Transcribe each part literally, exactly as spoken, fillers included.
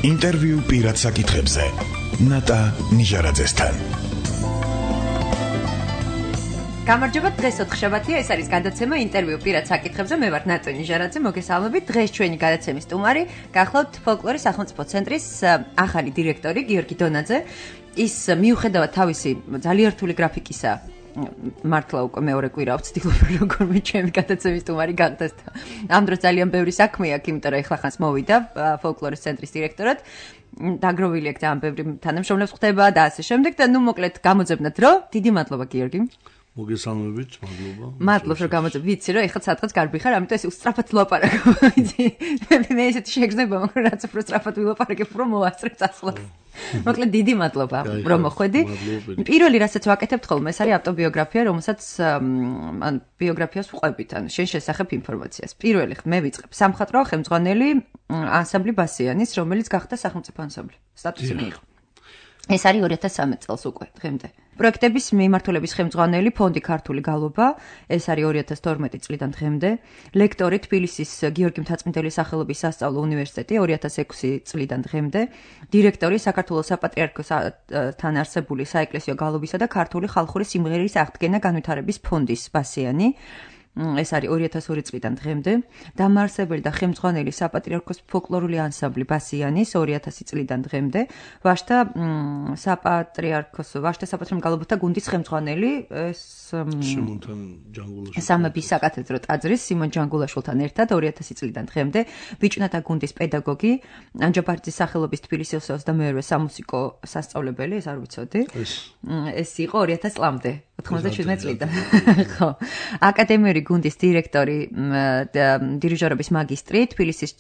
ინტერვიუ პირად საკითხებზე ნატა ნიჟარაძესთან. გამარჯობა, დღეს ოთხშაბათია, ეს არის გადაცემა ინტერვიუ პირად საკითხებზე. მე ვარ ნატა ნიჟარაძე, მოგესალმებით. დღეს ჩვენი გადაცემის სტუმარი გახლავთ ფოლკლორის სახელმწიფო ცენტრის ახალი დირექტორი გიორგი დონაძე. ის მიუხედავად თავისი ძალიან რთული გრაფიკისა, მართლა უკვე მეორე კვირაა ვცდილობ როგორმე ჩემი გადაცემის სტუმარი გახდეს. ამ დროს ძალიან ბევრი საქმე აქვს, იმიტომ რომ ეხლა ხანს მოვიდა ფოლკლორის ცენტრის დირექტორად. დაგროვილი აქვს ძალიან ბევრი თანამშრომლებს ხდება და ასე შემდეგ და ნუ მოკლედ გამოძებნათ რომ დიდი მადლობა გიორგი. მოგესალმებით, მადლობა. მადლობ რომ გამოძებ. ვიცი რომ ეხლა სადღაც გარბი ხარ, ამიტომ ეს უსწრაფად ვლაპარაკო. ვიცი. მე ესეთი შეგრძნება მაქვს, რაც უფრო სწრაფად ვილაპარაკებ, რომ მოასწრებ წასვლას. მოკლედ დიდი მადლობა რომ მოხვედი. პირველი რასაც ვაკეთებთ ხოლმე, ეს არის ავტობიოგრაფია, რომელსაც ან ბიოგრაფიას ვყვებით, ან შენ შესახებ ინფორმაციას. პირველი მე ვიწყებ. სამხატვრო ხელმძღვანელი ანსამბლი ბასიანის, რომელიც გახდა სახელმწიფო ანსამბლი. სტატუსი მიიღო. ეს არის ორი ათას სამი წელს უკვე დღემდე. პროექტების მიმართულების ხელმძღვანელი ფონდი ქართული გალობა, ეს არის ორი ათას თორმეტი წლიდან დღემდე. ლექტორი თბილისის გიორგი მთაწმიდელის სახელობის სასწავლო უნივერსიტეტი ორი ათას ექვსი წლიდან დღემდე. დირექტორი საქართველოს საპატრიარქოსთან არსებული საეკლესიო გალობისა და ქართული ხალხური სიმღერის აღდგენა განვითარების ფონდის ბასიანი. ეს არის ორი ათას ორი წლიდან დღემდე. დამაარსებელი და ხელმძღვანელი საპატრიარქოს ფოლკლორული ანსამბლი ბასიანის ორი ათასი წლიდან დღემდე. ვაშთა საპატრიარქოს ვაშთა საპატრიარქოს გალობათა გუნდის ხელმძღვანელი ეს სიმონთან ჯანგულაშვილთან სამების საკათედრო ტაძრის სიმონ ჯანგულაშვილთან ერთად ორი ათასი წლიდან დღემდე. ბიჭუნათა გუნდის პედაგოგი ანჯაბარიძის სახელობის თბილისის ოცდამეორე სამუსიკო სასწავლებელი, ეს არ ვიცოდი. ეს იყო ორი ათას წლამდე. ოთხმოცდაშვიდმეტი წლიდან. ხო. აკადემიური გუნდის დირექტორი, დირიჟორობის მაგისტრი, თბილისის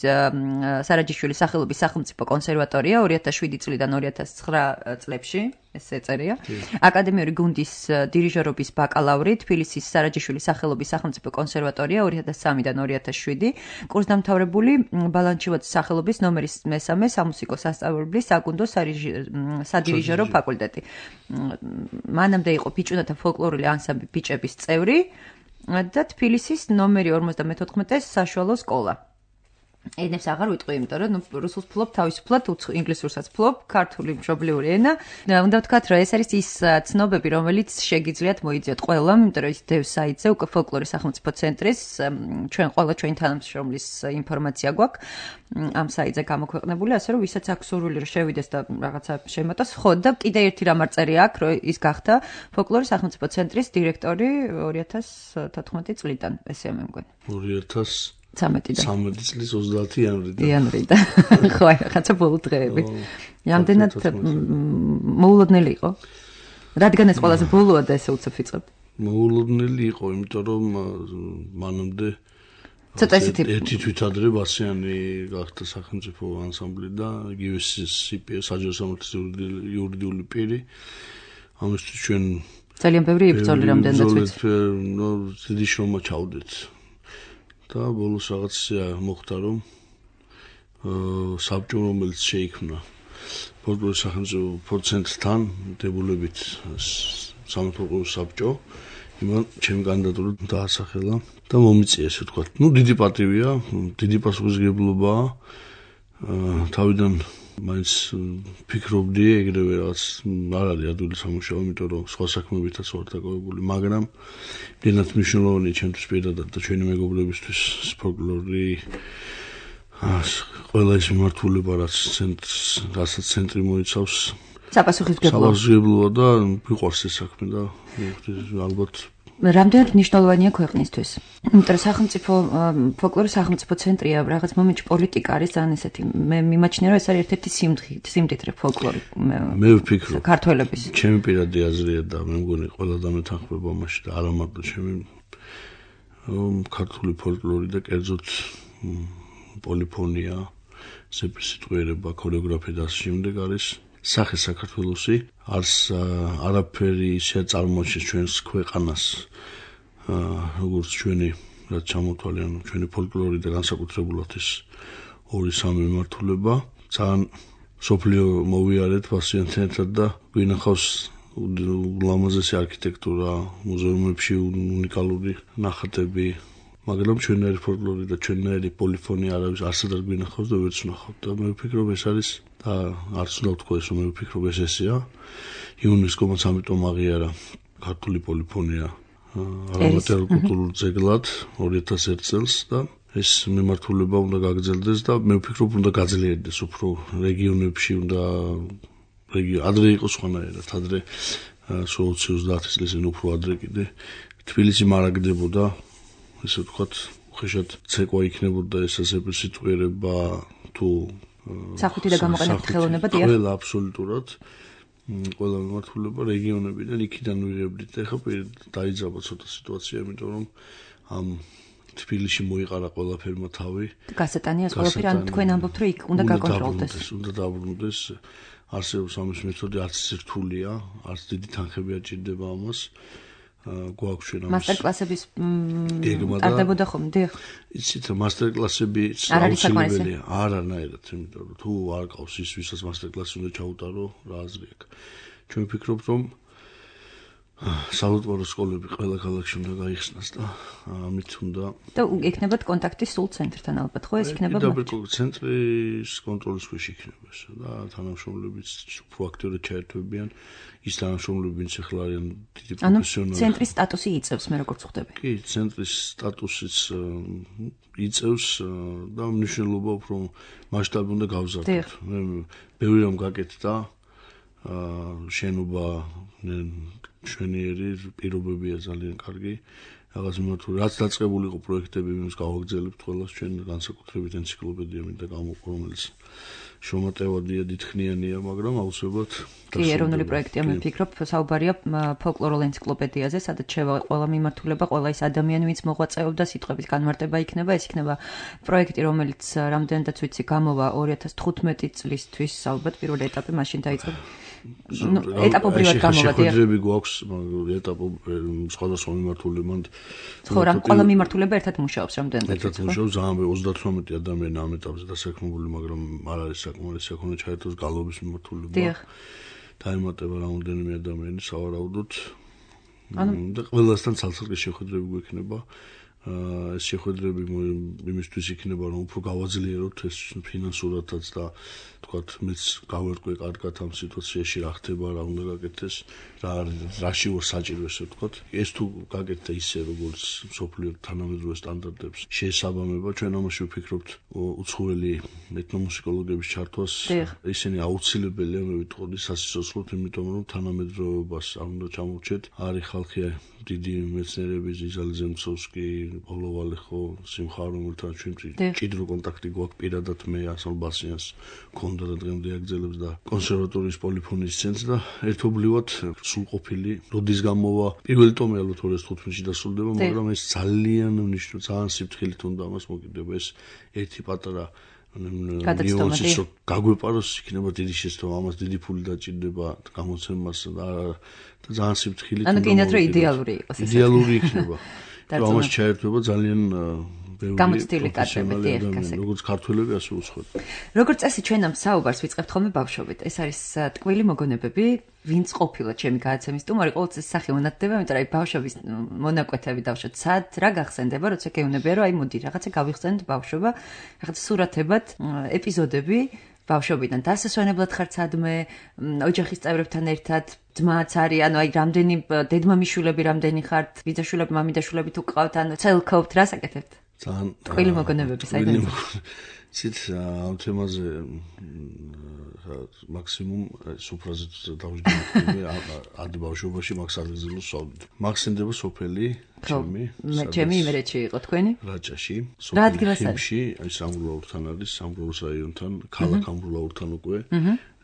სარაჯიშვილის სახელობის სახელმწიფო კონსერვატორია ორი ათას შვიდი წლიდან ორი ათას ცხრა წლებში, ეს ეწერია. აკადემიური გუნდის დირიჟორობის ბაკალავრი, თბილისის სარაჯიშვილის სახელობის სახელმწიფო კონსერვატორია ორი ათას სამიდან ორი ათას შვიდი, კურსდამთავრებული ბალანჩივაძის სახელობის ნომერის მესამე სამუსიკო სასწავლებლის საკუნდო სადირიჟორო ფაკულტეტი. მანამდე იყო ბიჭუნათა ფოლკლორული ანსამბლი ბიჭების წევრი და თბილისის ნომერი ორმოცდამეთოთხმეტე საშუალო სკოლა. ენებს აღარ ვიტყვი, იმიტომ რომ რუსულს ფლობ, თავისუფლად ინგლისურსაც ფლობ, ქართული მშობლიური ენა. უნდა ვთქვათ, რომ ეს არის ის ცნობები, რომელიც შეგიძლიათ მოიძიოთ ყველამ, იმიტომ რომ ის დევს საიტზე უკვე ფოლკლორის სახელმწიფო ცენტრის ჩვენ ყველა ჩვენი თანამშრომლის ინფორმაცია გვაქვს ამ საიტზე გამოქვეყნებული, ასე რომ ვისაც აქვს სურვილი რომ შევიდეს და რაღაცა შემოტოს, ხო და კიდე ერთი რამ არ წერია აქ, რომ ის გახდა ფოლკლორის სახელმწიფო ცენტრის დირექტორი ორი ათას თოთხმეტი წლიდან, ესეა მე მგონი. ორი ათას სამეტიდან. სამეტი წლის ოცდაათი იანვრიდან. იანვრიდან. ხო, რაღაცა ბოლო დღეები. რამდენად მოულოდნელი იყო? რადგან ეს ყველაზე ბოლოა და ესე უცებ ვიწყებთ? მოულოდნელი იყო, იმიტომ რომ მანამდე ცოტა ისეთი ერთი თვით ადრე ბასიანი გახდა სახელმწიფო ანსამბლი და იგივე საჯარო სამართლის იურიდიული პირი. ამისთვის ჩვენ ძალიან ბევრი იბრძოლი რამდენადაც ვიცი. ნუ დიდი შრომა ჩავდეთ. და ბოლოს რაღაც მოხდა რომ საბჭო რომელიც შეიქმნა ფოლკლორის სახელმწიფო ცენტრთან დებულებით სამეფო საბჭო იმან ჩემი კანდიდატურა დაასახელა და მომიწია ესე ვთქვათ. ნუ დიდი პატივია, დიდი პასუხისმგებლობაა. თავიდან მაინც ფიქრობდი ეგრევე რაღაც არ არის ადვილი სამუშაო, იმიტომ რომ სხვა საქმეებითაც ვარ დაკავებული, მაგრამ იმდენად მნიშვნელოვანია ჩემთვის პირადად და ჩვენი მეგობრებისთვის ფოლკლორი ყველა ის მიმართულება რაც რასაც ცენტრი მოიცავს საპასუხისმგებლობა საპასუხისმგებლობა და მიყვარს ეს საქმე და ალბათ რამდენად მნიშვნელოვანია ქვეყნისთვის. იმიტომ რომ სახელმწიფო ფოლკლორის სახელმწიფო ცენტრია, რაღაც მომენტში პოლიტიკა არის ძალიან ესეთი. მე მიმაჩნია რომ ეს არის ერთ-ერთი სიმდიდრე ფოლკლორი. მე ვფიქრობ ქართველების. ჩემი პირადი აზრია და მე მგონი ყველა დამეთანხმება მასში და არა მარტო ჩემი ქართული ფოლკლორი და კერძოდ პოლიფონია, სეპრესიტყვიერება, ქორეოგრაფია და ასე შემდეგ არის სახე საქართველოსი, არც არაფერი ისე წარმოაჩენს ჩვენს ქვეყანას, როგორც ჩვენი რაც ჩამოთვალე, ანუ ჩვენი ფოლკლორი და განსაკუთრებულად ეს ორი სამი მიმართულება. ძალიან სოფლიო მოვიარეთ ბასიანთან ერთად და გვინახავს ულამაზესი არქიტექტურა, მუზეუმებში უნიკალური ნახატები, მაგრამ ჩვენნაირი ფოლკლორი და ჩვენნაირი პოლიფონია არავის არსად არ გვინახავს და ვერც ვნახავთ და მე ვფიქრობ ეს არის და არც უნდა ვთქვა ეს რომ მე ვფიქრობ ეს ესეა იუნესკომ ამიტომ აღიარა ქართული პოლიფონია არამატერიალურ კულტურულ ძეგლად ორი ათას ერთი წელს და ეს მიმართულება უნდა გაგრძელდეს და მე ვფიქრობ უნდა გაძლიერდეს უფრო რეგიონებში უნდა ადრე იყოს სხვანაირად ადრე სულ ოცდაათი წლის წინ უფრო ადრე კიდე თბილისი მარაგდებოდა ესე ვთქვათ უხეშად ცეკვა იქნებოდა ეს ასეთი სიტყვიერება თუ სახვითი და გამოყენებითი ხელოვნება დიახ ყველა აბსოლუტურად ყველა მიმართულება რეგიონებიდან იქიდან ვიღებდით და ეხლა დაიძაბა ცოტა სიტუაცია იმიტომ რომ ამ თბილისში მოიყარა ყველაფერმა თავი გასატანია ყველაფერი ან თქვენ ამბობთ რომ იქ უნდა გაკონტროლდეს უნდა დაბრუნდეს არსებობს ამის მეთოდი არც რთულია არც დიდი თანხები არ ჭირდება ამას გვაქვს ჩვენ ამის მასტერკლასების ტარდებოდა ხომ დიახ იცით მასტერკლასები აუცილებელია არანაირად იმიტომ რომ თუ არ ყავს ის ვისაც მასტერკლასი უნდა ჩაუტარო რა აზრი აქვს ჩვენ ვფიქრობთ რომ საავტორო სკოლები ყველა ქალაქში უნდა გაიხსნას და ამით უნდა და იქნებათ კონტაქტი სულ ცენტრთან ალბათ ხო ეს იქნება მაგრამ ცენტრის კონტროლის ქვეშ იქნება ეს და თანამშრომლებიც უფრო აქტიურად ჩაერთვებიან ის თანამშრომლები ვინც ახლა არიან დიდი პროფესიონალი ცენტრის სტატუსი იწევს მე როგორც ხვდები კი ცენტრის სტატუსიც იწევს და მნიშვნელობა უფრო მასშტაბი უნდა გავზარდოთ მე ბევრი რამ გაკეთდა შენობა შვენიერი პირობებია ძალიან კარგი რაღაც მიმართული რაც დაწყებული იყო პროექტები იმის გავაგრძელებთ ყველას ჩვენ განსაკუთრებით ენციკლოპედია მინდა გამოვყო რომელიც შრომატევადია დიდხნიანია მაგრამ აუცილებლად კი ეროვნული პროექტია მე ვფიქრობ საუბარია ფოლკლორულ ენციკლოპედიაზე სადაც შევა ყველა მიმართულება ყველა ის ადამიანი ვინც მოღვაწეობდა სიტყვების განმარტება იქნება ეს იქნება პროექტი რომელიც რამდენადაც ვიცი გამოვა ორი ათას თხუთმეტი წლისთვის ალბათ პირველი ეტაპი მაშინ დაიწყო ну ეტაპობრივად გამოვა დიახ შეხვედრები გვაქვს ეტაპო სხვადასხვა მიმართულებად ხო რა ყველა მიმართულება ერთად მუშაობს რამდენადაც ერთად მუშაობს ძალიან ოცდათვრამეტი ადამიანი ამ ეტაპზე დასაქმებული მაგრამ არ არის საკმარისი აქ უნდა ჩაერთოს გალობის მიმართულება დიახ დაემატება რამდენიმე ადამიანი სავარაუდოდ და ყველასთან ცალ-ცალკე შეხვედრები გვექნება ეს შეხვედრები იმისთვის იქნება რომ უფრო გავაძლიეროთ ეს ფინანსურადაც და თქვათ მეც გავერკვე კარგად ამ სიტუაციაში რა ხდება რა უნდა გაკეთდეს რა რაში ვარ საჭირო ესე ვთქვათ ეს თუ გაკეთდა ისე როგორც სოფლიო თანამედროვე სტანდარტებს შეესაბამება ჩვენ ამაში ვფიქრობთ უცხოელი ეთნომუსიკოლოგების ჩართვას ისინი აუცილებელია მე ვიტყოდი სასიცოცხლოდ იმიტომ რომ თანამედროვეობას არ უნდა ჩამოვჭეთ არის ხალხი დიდი მეცნიერები ზიზალ ზემცოვსკი პავლო ვალეხო სიმხარ რომელთან ჩვენ ჭიდრო კონტაქტი გვაქვს პირადად მე ასალ ბასიანს ქონდა და დღემდე აგრძელებს და კონსერვატორიის პოლიფონიის ცენტრს და ერთობლივად სრულყოფილი როდის გამოვა პირველი ტომი ალბათ ორი ათას თხუთმეტში დასრულდება მაგრამ ეს ძალიან მნიშვნელოვანი ძალიან სიფრთხილით უნდა ამას მოკიდება ეს ერთი პატარა ნიუანსი რომ გაგვეპაროს იქნება დიდი შეცდომა ამას დიდი ფული დაჭირდება გამოცემას და ძალიან სიფრთხილით ანუ კიდევ რომ იდეალური იყოს ეს იდეალური იქნება რომ ამას ჩაერთვება ძალიან გამოცდილი კადრები დიახ როგორც ქართველები ასე უცხოეთ როგორც წესი ჩვენ ამ საუბარს ვიწყებთ ხოლმე ბავშვობით ეს არის ტკვილი მოგონებები ვინც ყოფილა ჩემი გადაცემის სტუმარი ყოველთვის სახე უნათდება იმიტომ რომ აი ბავშვების მონაკვეთები დავშოთ სად რა გახსენდება როცა გეუბნებია რომ აი მოდი რაღაცა გავიხსენოთ ბავშვობა რაღაცა სურათებად ეპიზოდები ბავშვობიდან დასასვენებლად ხარ სადმე ოჯახის წევრებთან ერთად ძმაც არის ანუ აი რამდენი დედმამიშვილები რამდენი ხართ ბიძაშვილები მამიდაშვილები თუ ყავთ ანუ ცელქობთ რას აკეთებთ ძალიან ტკვილი მოგონებები საერთოდ ცით ამ თემაზე მაქსიმუმ სუფრაზე დავждები ადი ბავშვობაში მაგ საგრძელო სავდით მაგსენდება სოფელი ჩემი ჩემი იმერეთში იყო თქვენი რაჭაში სოფელი აი სამგროვურთან არის სამგროვურის რაიონთან ქალაქ ამბროლაურთან უკვე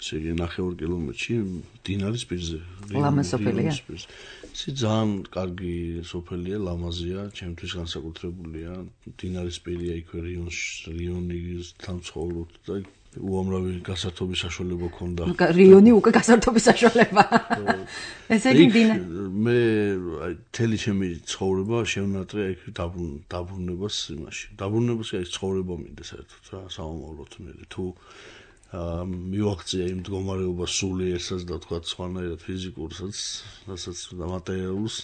ესე იგი ნახევარ კილომეტრში დინარის პირზე ლამაზ სოფელია ისი ძალიან კარგი სოფელია ლამაზია ჩემთვის განსაკუთრებულია დინარის პირია იქვე რიონში რიონის თანცხოვრობ და უამრავი გასართობის საშუალება ქონდა. რიონი უკვე გასართობის საშუალება. ესე იგი დინა მე აი თელი ჩემი ცხოვრება შევნატრე აი დაბრუნებას იმაში. დაბრუნებას აი ცხოვრება მინდა საერთოდ რა სამომავლოდ მე თუ მივაღწია იმ მდგომარეობას სულიერსაც და თქვა სხვანაირად ფიზიკურსაც, რასაც და მატერიალურს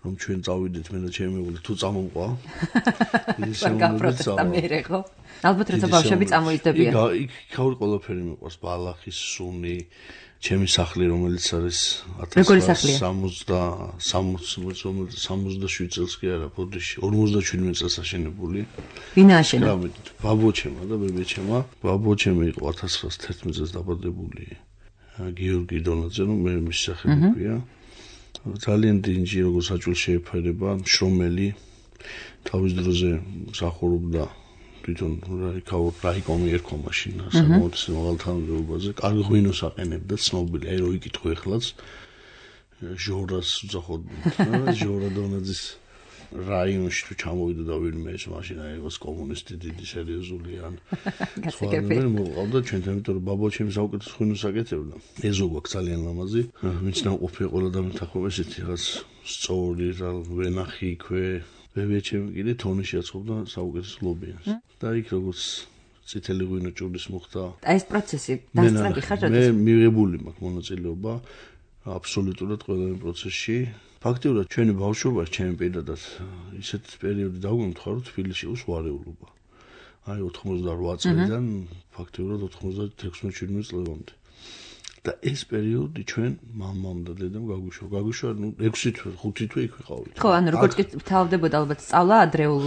რომ ჩვენ წავიდეთ მე და ჩემი მეგობარი თუ წამომყვა. ის გაპროტესტა მერე ხო? ალბათ როცა ბავშვები წამოიძდებიან. იქ იქაური ყველაფერი მიყვარს, ბალახის სუნი, ჩემი სახლი რომელიც არის სამოცდაშვიდ წელს კი არა, ბოდიში ორმოცდაშვიდმეტ წელს აშენებული. ვინ აშენა? ბაბოჩემა და ბებიჩემა. ბაბოჩემი იყო ათას ცხრაას თერთმეტ წელს დაბადებული. გიორგი დონაძე, ну მე მის სახელი ქვია. ძალიან დინჯი როგორც საჭველი შეეფერება, შრომელი. თავის დროზე მსახურობდა თვითონ რაიკაურ რაიკომი ერქვა მაშინ საკმაოდ მაღალთანამდებობაზე. კარგი ღვინოს აყენებდა, ცნობილი, აი რო იკითხო ეხლაც ჟორას უძახოდნენ, ჟორა დონაძის რაიონში თუ ჩამოვიდა და ვინმე ეს მაშინ აი იყოს კომუნისტი დიდი სერიოზული ან გასაგებია. მე მოვყავდა ჩვენთან, იმიტომ რომ ბაბოჩემი საუკეთესო ღვინოს აკეთებდა. ეზო გვაქვს ძალიან ლამაზი. ვინც ნამყოფია ყველა დამეთახობა ესეთი რაღაც სწორი რა ვენახი იქვე. ბებიჩემი კიდე თონიში აწყობდა საუკეთესო ლობიანს. და იქ როგორც წითელი ღვინო ჭურლის მოხდა. აი ეს პროცესი დასწრები ხარ როდის? მე მიღებული მაქვს მონაწილეობა აბსოლუტურად ყველა იმ პროცესში. ფაქტიურად ჩვენი ბავშვობაში ჩემი პირადად ისეთ პერიოდი დაგვემთხვა, რომ თბილისში იყო სვარეულობა. აი ოთხმოცდაოთხ წლიდან ფაქტიურად ოთხმოცდათექვსმეტ შვიდმეტ წლამდე. და ეს პერიოდი ჩვენ მამამ და დედამ გაგვიშვა. გაგვიშვა, ну ექვსი თვე, ხუთი თვე იქ ვიყავით. ხო, ანუ როგორც კი თავდებოდა ალბათ სწავლა ადრეულ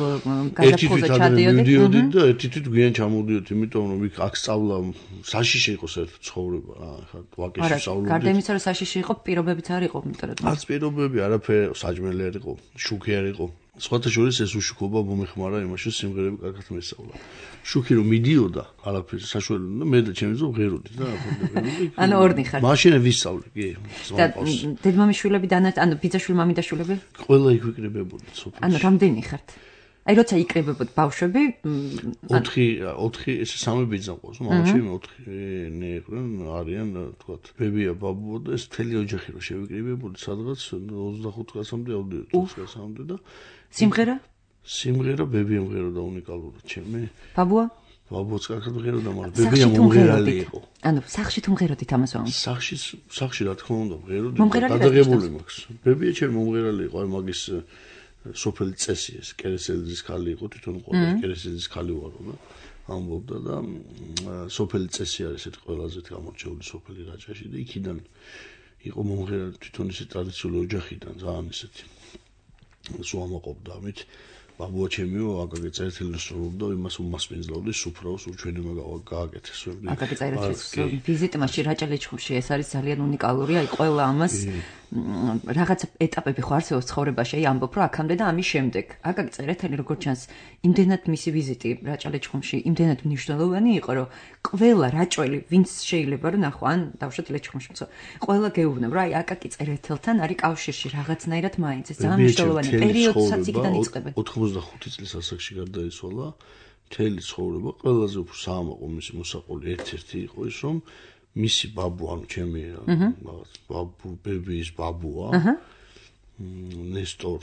გაზაფხულზე ჩადიოდით. მივდიოდით და ერთი თვით გვიან ჩამოვდიოდით, იმიტომ რომ იქ აქ სწავლა საშიში იყო საერთოდ ცხოვრება. ახლა ვაკეში სწავლობდი. გარდა იმისა, რომ საშიში იყო, პირობებიც არ იყო, იმიტომ რომ არც პირობები, არაფერი, საჭმელი არ იყო, შუქი არ იყო. სხვათა შორის ეს უშუქობა მომეხმარა იმაში, რომ სიმღერები კარგად მესწავლა. შუქი რომ მიდიოდა, არაფერი საშუალო და მე და ჩემი ძმა ღეროდით და ანუ ორნი ხარ. მაშინ ვისწავლე, კი. და დედმამიშვილები და ანუ ბიძაშვილი მამიდაშვილები? ყველა იქ ვიკრიბებოდით სოფელში. ანუ რამდენი ხართ? აი როცა იკრიბებოდ ბავშვები ოთხი ოთხი ეს სამი ბიძა ყავს, მამაჩემი ოთხი ნეყრენ არიან, თქვათ, ბებია, ბაბუა და ეს მთელი ოჯახი რო შევიკრიბებოდი სადღაც ოცდახუთ წლამდე ავდიოდი, ოცდაოთხ წლამდე და სიმღერა? სიმღერა ბებია მღეროდა უნიკალურად ჩემი. ბაბუა? ბაბუაც კარგად მღეროდა, მაგრამ ბებია მომღერალი იყო. ანუ სახში თუ მღეროდით ამას ვამბობ. სახში სახში რა თქმა უნდა მღეროდი, გადაღებული მაქვს. ბებია ჩემი მომღერალი იყო, აი მაგის სოფელი წესი ეს კერესელიძის ხალი იყო, თვითონ ყოველ კერესელიძის ხალი ვარო და ამბობდა და სოფელი წესი არის ერთ ყველაზე გამორჩეული სოფელი რაჭაში და იქიდან იყო მომღერალი თვითონ ისე ტრადიციული ოჯახიდან ძალიან ისეთი სუამაყობდა ამით ბაბუა ჩემიო აკაკი წერეთელი სწავლობდა იმას უმასპინძლავდი სუფრაოს უჩვენე გააკეთეს აკაკი წერეთლის ვიზიტი მაშინ რაჭა-ლეჩხუმში ეს არის ძალიან უნიკალური აი ყველა ამას რაღაც ეტაპები ხო არსებობს ცხოვრებაში აი ამბობ რომ აქამდე და ამის შემდეგ აკაკი წერეთელი როგორც ჩანს იმდენად მისი ვიზიტი რაჭა-ლეჩხუმში იმდენად მნიშვნელოვანი იყო რომ ყველა რაჭველი ვინც შეიძლება რომ ნახო ან დავშოთ ლეჩხუმში მცო ყველა გეუბნებ რომ აი აკაკი წერეთელთან არის კავშირში რაღაცნაირად მაინც ეს ძალიან მნიშვნელოვანი პერიოდსაც იქიდან იწყებენ ოცდახუთი წლის ასაკში გარდაიცვალა მთელი ცხოვრება ყველაზე უფრო საამაყო მისი მოსაყოლი ერთ-ერთი იყო ის რომ მისი ბაბუ ანუ ჩემი რაღაც ბაბუ ბებიის ბაბუა ნესტორ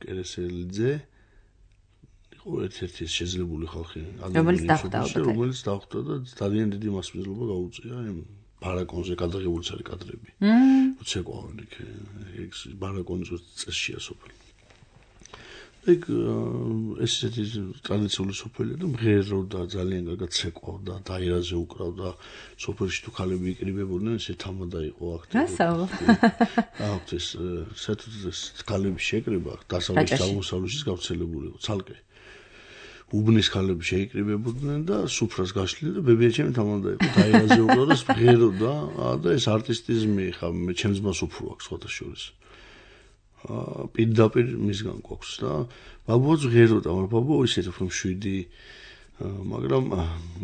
კერესელიძე იყო ერთ-ერთი შეძლებული ხალხი რომელიც დახვდა რომელიც დახვდა და ძალიან დიდი მასპინძლობა გაუწია იმ ბარაკონზე გადაღებული არის კადრები უცეკვავენ იქ ეს ბარაკონის წესშია სოფელი ეგ ესეთი ტრადიციული სოფელია და მღეროდა ძალიან კარგად ცეკვავდა დაირაზე უკრავდა სოფელში თუ ქალები იკრიბებოდნენ ესე თამადა იყო აქტიური რასაო აუთ ეს საერთოდ ეს ქალები შეკრიბა დასავლეთ აღმოსავლეთის გავრცელებული იყო ცალკე უბნის ქალები შეიკრიბებოდნენ და სუფრას გაშლილი და ბებიაჩემი თამადა იყო დაირაზე უკრავდა მღეროდა და ეს არტისტიზმი ხა მე ჩემს ძმას უფრო აქვს სხვათა შორის აა პირდაპირ მისგან გვაქვს და ბაბუაც ღეროდა, მაგრამ ბაბუა ისეთ უფრო შვიდი, მაგრამ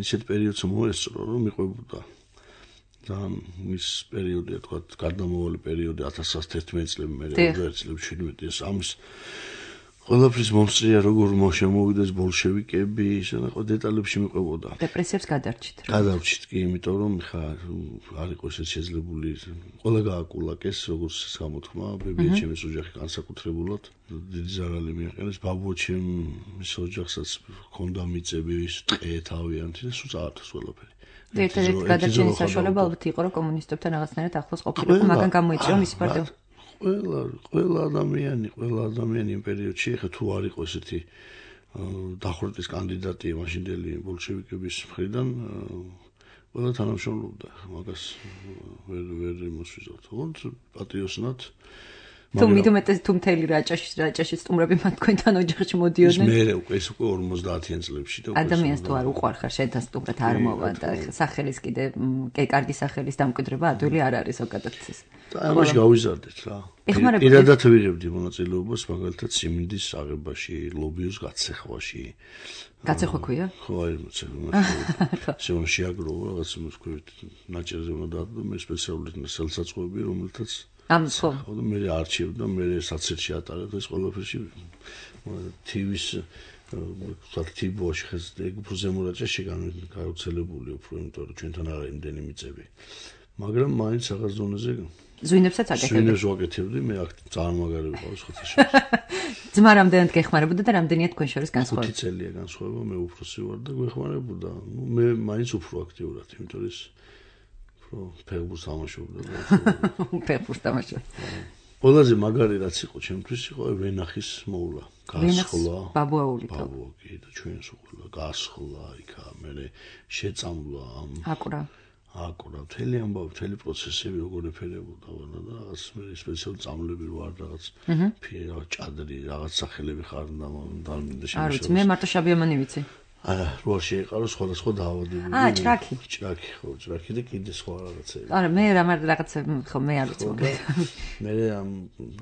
ისეთ პერიოდს მოესწრო, რომ მიყვებოდა. და ის პერიოდია, თქვა, გარდამავალი პერიოდი ათას ცხრაას თერთმეტ წლები მე ოცდაერთი წლები შვიდმეტი ეს ამის ყველაფრის მომსწრია როგორ შემოვიდეს ბოლშევიკები, ისე და დეტალებში მიყვებოდა. დეპრესიებს გადარჩით. გადარჩით კი, იმიტომ რომ ხა არ იყო ესე შეძლებული ყველა გააკულაკეს, როგორც გამოთქმა, ბებიაჩემის ოჯახი განსაკუთრებულად დიდი ზარალი მიაყენეს, ბაბუაჩემის ოჯახსაც ჰქონდა მიწები, ის ტყე თავიანთი და სულ წაართოს ყველაფერი. ერთ-ერთი გადარჩენის საშუალება ალბათ იყო, რომ კომუნისტებთან რაღაცნაირად ახლოს ყოფილიყო, მაგრამ გამოიწვია მისი პარტია. ყველა ყველა ადამიანი, ყველა ადამიანი იმ პერიოდში ხა თუ არ იყო ესეთი დახვრეტის კანდიდატი მაშინდელი ბოლშევიკების მხრიდან ყველა თანამშრომლობდა, მაგას ვერ ვერ მოსვიზავთ. თუმცა პატრიოტსნად თუ მithumetes თუ მთელი რაჭაში რაჭაში სტუმრები მათ თქვენთან ოჯახში მოდიოდნენ. ის მე უკვე ეს უკვე ორმოცდაათიან წლებში და ადამიანს თუ არ უყვარხარ შენთან სტუმრად არ მოვა და სახელის კიდე კარგი სახელის დამკვიდრება ადვილი არ არის ზოგადად ეს. და ამაში გავიზარდეთ რა. პირადად ვიღებდი მონაწილეობას მაგალითად სიმინდის აღებაში, ლობიოს გაცეხვაში. გაცეხვა ქვია? ხო, აი შემო შეაგროვა რაღაც მოსკოვით ნაჭერზე უნდა და მე სპეციალურად სელსაწყოები რომელთაც ამ ხო და მე არჩევდა მე საცერში ატარებ ეს ყველაფერში თივის ვთქვათ თიბოში ხეს ეგ უფრო ზემურაჭაში გაუცელებული უფრო იმიტომ რომ ჩვენთან არა იმდენი მიწები მაგრამ მაინც რაღაც ზონაზე ზვინებსაც აკეთებდი ზვინებს ვაკეთებდი მე აქ ძალიან მაგარი ვიყავს ხოთაში ძმა რამდენად გეხმარებოდა და რამდენია თქვენ შორის განსხვავება ხუთი წელია განსხვავება მე უფროსი ვარ და გვეხმარებოდა ნუ მე მაინც უფრო აქტიურად იმიტომ რომ რო ფეხბურთს თამაშობდა და ფეხბურთს თამაშობდა. ყველაზე მაგარი რაც იყო ჩემთვის იყო ვენახის მოვლა, გასხლა, ბაბუაული თო. ბაბუაკი და ჩვენს უყლა გასხლა იქა, მე შეწამლა ამ აკურა. აკურა, მთელი ამბავი, მთელი პროცესები როგორ ეფერებოდა და რაღაც მე სპეციალური წამლები ვარ რაღაც ფირა, ჭადრი, რაღაც სახელები ხარდა და შემოშ. არ ვიცი, მე მარტო შაბიამანი ვიცი. არა, როა შეიყარო სხვადასხვა დაავადებები. აა, ჭრაკი. ჭრაკი, ხო, ჭრაკი და კიდე სხვა რაღაცები. არა, მე რა მაგ რაღაცა ხო მე არ ვიცი. მე ამ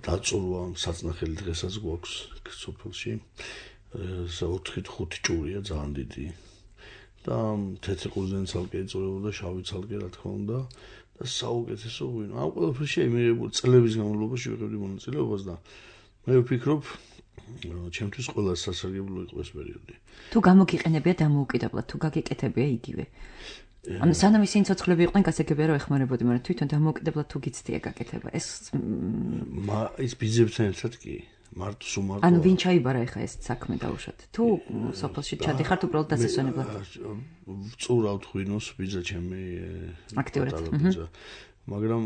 დაწურვა საწნახელი დღესაც გვაქვს სოფელში. ოთხი ხუთი ჭურია ძალიან დიდი. და თეთრი ყურძენი ცალკე ეწურებოდა, შავი ცალკე რა თქმა უნდა და საუკეთესო ღვინო. ამ ყველაფერში მიღებული წლების განმავლობაში ვიღებდი მონაწილეობას და მე ვფიქრობ ჩემთვის ყველა სასარგებლო იყო ეს პერიოდი. თუ გამოგიყენებია დამოუკიდებლად, თუ გაგიკეთებია იგივე. ანუ სანამ ისინი ცოცხლები იყვნენ, გასაგებია რომ ეხმარებოდი, მაგრამ თვითონ დამოუკიდებლად თუ გიცდია გაკეთება. ეს მა ის ბიძებთან ერთად კი მარტო სუმარტო. ანუ ვინ ჩაიბარა ახლა ეს საქმე დაუშვათ? თუ სოფელში ჩადიხართ უბრალოდ დასასვენებლად. ვწურავთ ღვინოს ბიძა ჩემი აქტიურად. მაგრამ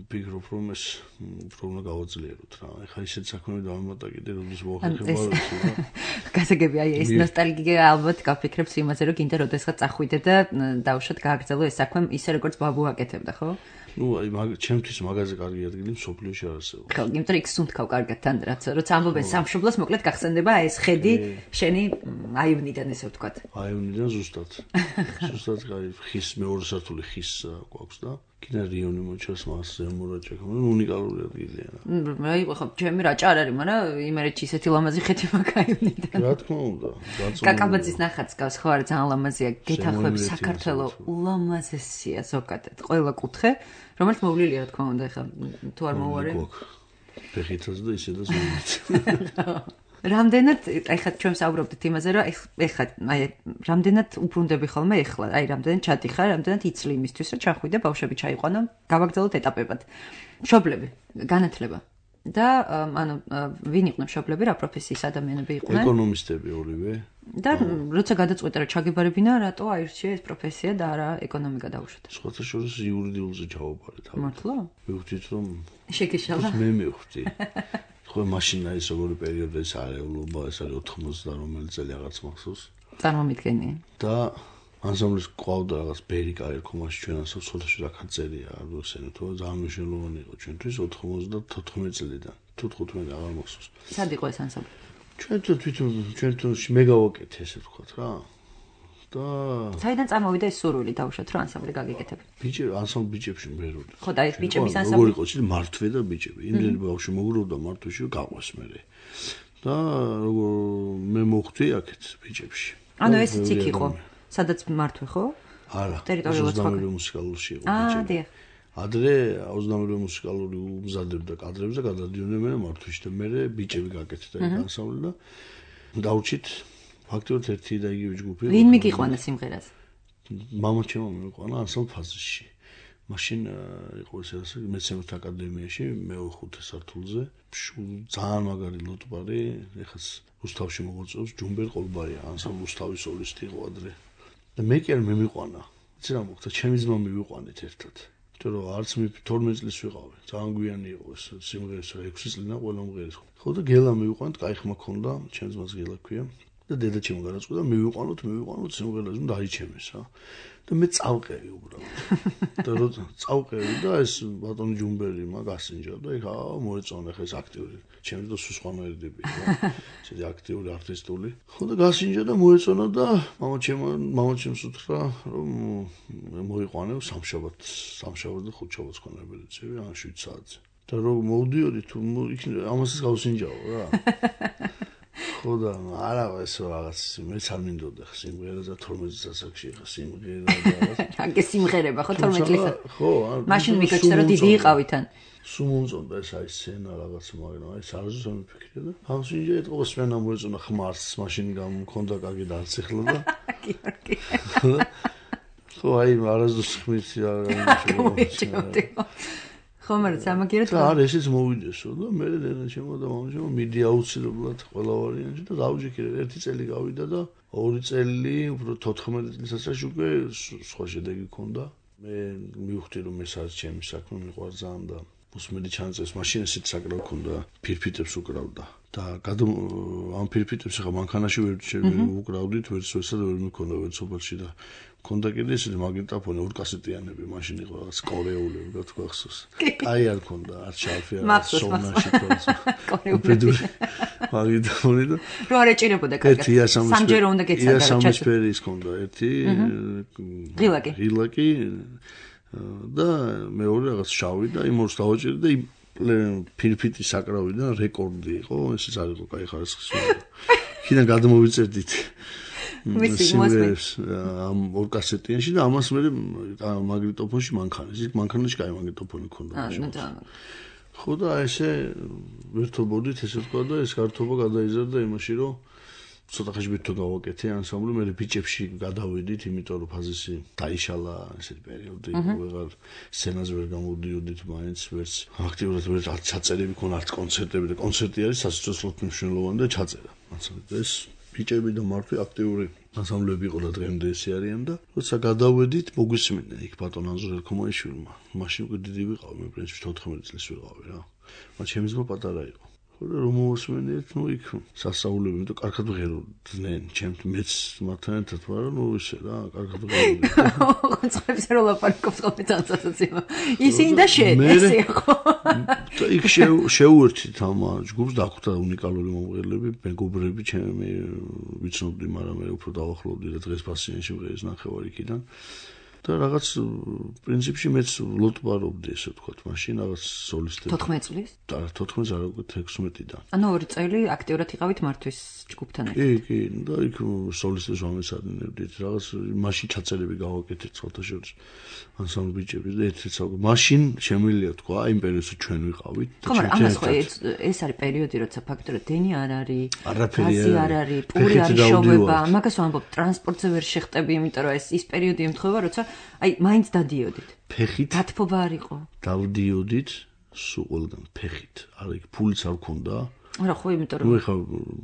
ვფიქრობ რომ ეს უფრო უნდა გავაძლიეროთ რა. ეხლა ისეთ საქმეები დავამატა კიდე როდის მოახერხებარ რა. გასაგები აი ეს ნოსტალგია ალბათ გაფიქრებს იმაზე რომ კიდე როდესაც წახვიდე და დავუშვათ გააგრძელო ეს საქმე ისე როგორც ბაბუ აკეთებდა ხო? ნუ აი ჩემთვის მაგაზე კარგი ადგილი მსოფლიოში არ არსებობს. ხო, იმიტომ იქ სუნთქავ კარგად თან რაც როცა ამბობენ სამშობლოს მოკლედ გახსენდება ეს ხედი შენი აივნიდან ესე ვთქვათ. აივნიდან ზუსტად. ზუსტად აი ხის მეორე სართული ხის გვაქვს და კიდე რიონი მოჩას მას ზემურაჭა ხო უნიკალური ადგილია. აი ხო ჩემი რაჭა არ არის, მაგრამ იმერეთში ისეთი ლამაზი ხეთი მაქვს აივნიდან. რა თქმა უნდა, გაწოლილი. კაკაბაძის ნახატს გავს ხო არა ძალიან ლამაზია, გეთახმები საქართველოს ულამაზესია ზოგადად. ყველა კუთხე რომელიც მოვლილია რა თქმა უნდა ეხლა თუ არ მოუარე ფეხითაც და ისე და ზურგით რამდენად ეხლა ჩვენ საუბრობდით იმაზე რომ ეხლა აი რამდენად უბრუნდები ხოლმე ეხლა აი რამდენად ჩადიხარ რამდენად იცლი იმისთვის რომ ჩახვიდე ბავშვები ჩაიყვანო გავაგრძელოთ ეტაპებად მშობლები განათლება და ანუ ვინ იყვნენ მშობლები რა პროფესიის ადამიანები იყვნენ ეკონომისტები ორივე და როცა გადაწყვეტა რომ ჩაგებარებინა რატო აირჩია ეს პროფესია და არა ეკონომიკა დაუშვათ სხვათა შორის იურიდიულზე ჩავაბარეთ მართლა მივხვდით რომ შეგეშალა მე მივხვდი ხო მაშინ არის როგორი პერიოდი ეს არეულობა ეს არის ოთხმოცდა რომელი წელი რაღაც მახსოვს წარმომიდგენი და ანსამბლის ყავდა რაღაც ბერიკა ერქომაში ჩვენ ასე სოთაში რაკაწერია არ ვიცი თუ ძალიან მნიშვნელოვანი იყო ჩვენთვის ოთხმოცდათოთხმეტი წლიდან თუ თხუთმეტი აღარ მახსოვს სად იყო ეს ანსამბლი ჩვენ თვითონ ჩვენ თვითონში მე გავაკეთე ესე ვთქვათ რა და საიდან წამოვიდა ეს სურვილი დავუშვათ რომ ანსამბლი გაგიკეთებ ბიჭი ანსამბლი ბიჭებში მღეროდი ხო და ეს ბიჭების ანსამბლი როგორ იყო ცი მართვე და ბიჭები იმდენი ბავშვი მოგროვდა მართვეში გაყვეს მე და როგორ მე მოხვდი აქეთ ბიჭებში ანუ ესეც იქ იყო სადაც მართვე ხო? არა. ტერიტორიულად სხვა. ოცდამეერე მუსიკალურში იყო ბიჭები. აა, დიახ. ადრე ოცდამეერე მუსიკალური უმზადებდა კადრებს და გადადიოდნენ მართვეში და მე ბიჭები გაკეთდა ეს ანსამბლი და დავრჩით ფაქტობრივად ერთი და იგივე ჯგუფი. ვინ მიგიყვანა სიმღერას? მამა ჩემო მიგიყვანა ანსამბლ ფაზისში. მაშინ იყო ესე მეცნიერთა აკადემიაში მეოთხე სართულზე. ძალიან მაგარი ლოტბარი, ეხაც რუსთავში მოღვაწეობს ჯუმბერ ყოლბარია, ანსამბლ რუსთავის სოლისტი იყო ადრე. და მე კი არ მემიყვანა. იცი რა მოხდა, ჩემი ძმა მივიყვანეთ ერთად. იმიტომ რომ არც მე თორმეტ წლის ვიყავი. ძალიან გვიანი იყო ეს სიმღერის ექვსი წლიდან ყველა მღერის. ხო და გელა მივიყვანეთ, კაი ხმა ქონდა, ჩემს მას გელა ქვია. და დედა ჩემო გადაწყვიტა მივიყვანოთ, მივიყვანოთ სიმღერას, უნდა აიჩემეს რა. და მე წავყევი უბრალოდ. და როცა წავყევი და ეს ბატონი ჯუმბერი მაგ ასინჯა და იქ აა მოეწონა ხა ეს აქტიური. ჩემს და სულ სხვანაირდები რა. ესე აქტიური არტისტული. ხო და გასინჯა და მოეწონა და მამა ჩემო მამა ჩემს უთხრა რომ მოიყვანე სამშაბათ, სამშაბათ და ხუთშაბათს ქონა ბედიცები, ან შვიდ საათზე. და რომ მოვდიოდი თუ ამასაც გავსინჯაო რა. ხო და არა ესო რაღაც მეც არ მინდოდა ხა სიმღერა და თორმეტ წელსაკში ხა სიმღერა და რაღაც. აგე სიმღერება ხო თორმეტ წელსა. ხო, მაშინ მიგეჩნდა რომ დიდი იყავითან. სულ მომწონდა ეს აი სცენა რაღაც მაგრამ აი სარზუს ამიფიქრე და ამსინჯა ეთყო სვენა მოეწონა ხმარს მაშინ გამქონდა კარგი დაციხლა და გიორგი. ხო აი არასდროს ხმის რა გამიჩნდა. ხო მაგრამ სამაგიეროდ და არა ესეც მოვიდესო და მე დედა ჩემო და მამა ჩემო მიდი აუცილებლად ყველა ვარიანტი და დავჯექირე ერთი წელი გავიდა და ორი წელი უფრო თოთხმეტ წელსაც უკვე სხვა შედეგი ქონდა მე მივხვდი რომ ეს არის ჩემი საქმე მიყვარს ძალიან და მოსმედი ჩანწეს მაშინ ესეც საკრავ ქონდა ფირფიტებს უკრავდა და ამ ფირფიტებს ახლა მანქანაში ვერ უკრავდით ვერც ვერსად ვერ მქონდა ვერც სოფელში და ქონდა კიდე ისეთი მაგნიტოფონი ორ კასეტიანები მაშინ იყო რაღაც კორეულები რა თქვა ხსოს კაი არ ქონდა არ შალფი არ სონაში თორსო კორეულები მაგნიტოფონი და რო არ ეჭირებოდა კარგად სამჯერ უნდა გეცადა რა სამჯერ ის ქონდა ერთი ღილაკი ღილაკი და მეორე რაღაც შავი და იმ ორს დავაჭირე და ფირფიტი საკრავიდან რეკორდი იყო ესეც არ იყო კაი ხარისხის ხიდან გადმოვიწერდით სიმღერებს ამ ორ კასეტიანში და ამას მე მაგნიტოფონში მანქანის იქ მანქანაში კაი მაგნიტოფონი ქონდა ხო და ესე ვერთობოდით ესე თქვა და ეს გართობა გადაიზარდა იმაში რომ ცოტა ხანში ვით თუ გავაკეთე ანსამბლი მე ბიჭებში გადავედით იმიტომ რომ ფაზისი დაიშალა ესეთ პერიოდი ვეღარ სცენაზე ვერ გამოვდიოდით მაინც ვერც აქტიურად ვერ ჩაწერები ქონა არც კონცერტები და კონცერტი არის სასიცოცხლო მნიშვნელოვანი და ჩაწერა მასალით ეს ბიჭები და მართლა აქტიური ანსამბლები იყო და დღემდე ესე არიან და როცა გადავედით მოგვისმინა იქ ბატონ ანზორ ელქომაიშვილმა მაშინ უკვე დიდი ვიყავ მე პრინციპში თოთხმეტ წლის ვიყავი რა მაგრამ ჩემი ძმა პატარა იყო რომ მოსმენით, ну იქ სასაულები, იმიტომ კარგად ვღეროდნენ, ჩემთ მეც მათთან ერთად ვარ, ну ისე რა, კარგად ვღეროდნენ. წყებს რო ლაპარაკობს ხოლმე თანსაცაცია. ისინი და შენ ესე იყო. და იქ შეუერთით ამ ჯგუფს დაგვხვდა უნიკალური მომღერლები, მეგობრები, ჩემი ვიცნობდი, მაგრამ მე უფრო დავახლოვდი და დღეს პასიანში ვღერის ნახევარი იქიდან. და რაღაც პრინციპში მეც ლოტბარობდი ესე ვთქვათ, მაშინ რაღაც სოლისტები. თოთხმეტ წლის? და თოთხმეტ არ უკვე ექვსმეტიდან. ანუ ორი წელი აქტიურად იყავით მართვის ჯგუფთან ერთად. კი, კი, და იქ სოლისტებს ვამესადინებდით, რაღაც მაშინ ჩაწერები გავაკეთეთ სხვათა შორის ანსამბლ ბიჭები და ერთ-ერთ საუკეთესო. მაშინ შემიძლია თქვა, იმ პერიოდში ჩვენ ვიყავით. ხო, მაგრამ ამას ხო ეს არის პერიოდი, როცა ფაქტობრივად დენი არ არის, არაფერი არ არის, პური არ შოვება, მაგას ვამბობ, ტრანსპორტზე ვერ შეხტები, იმიტომ რომ ეს ის პერიოდი ემთხვევა, როცა აი, მაინც დადიოდით. ფეხით. დათბობა არ იყო. დავდიოდით სულ ყველგან ფეხით. არა, იქ ფულიც არ ქონდა. არა, ხო, იმიტომ რომ. ნუ ეხა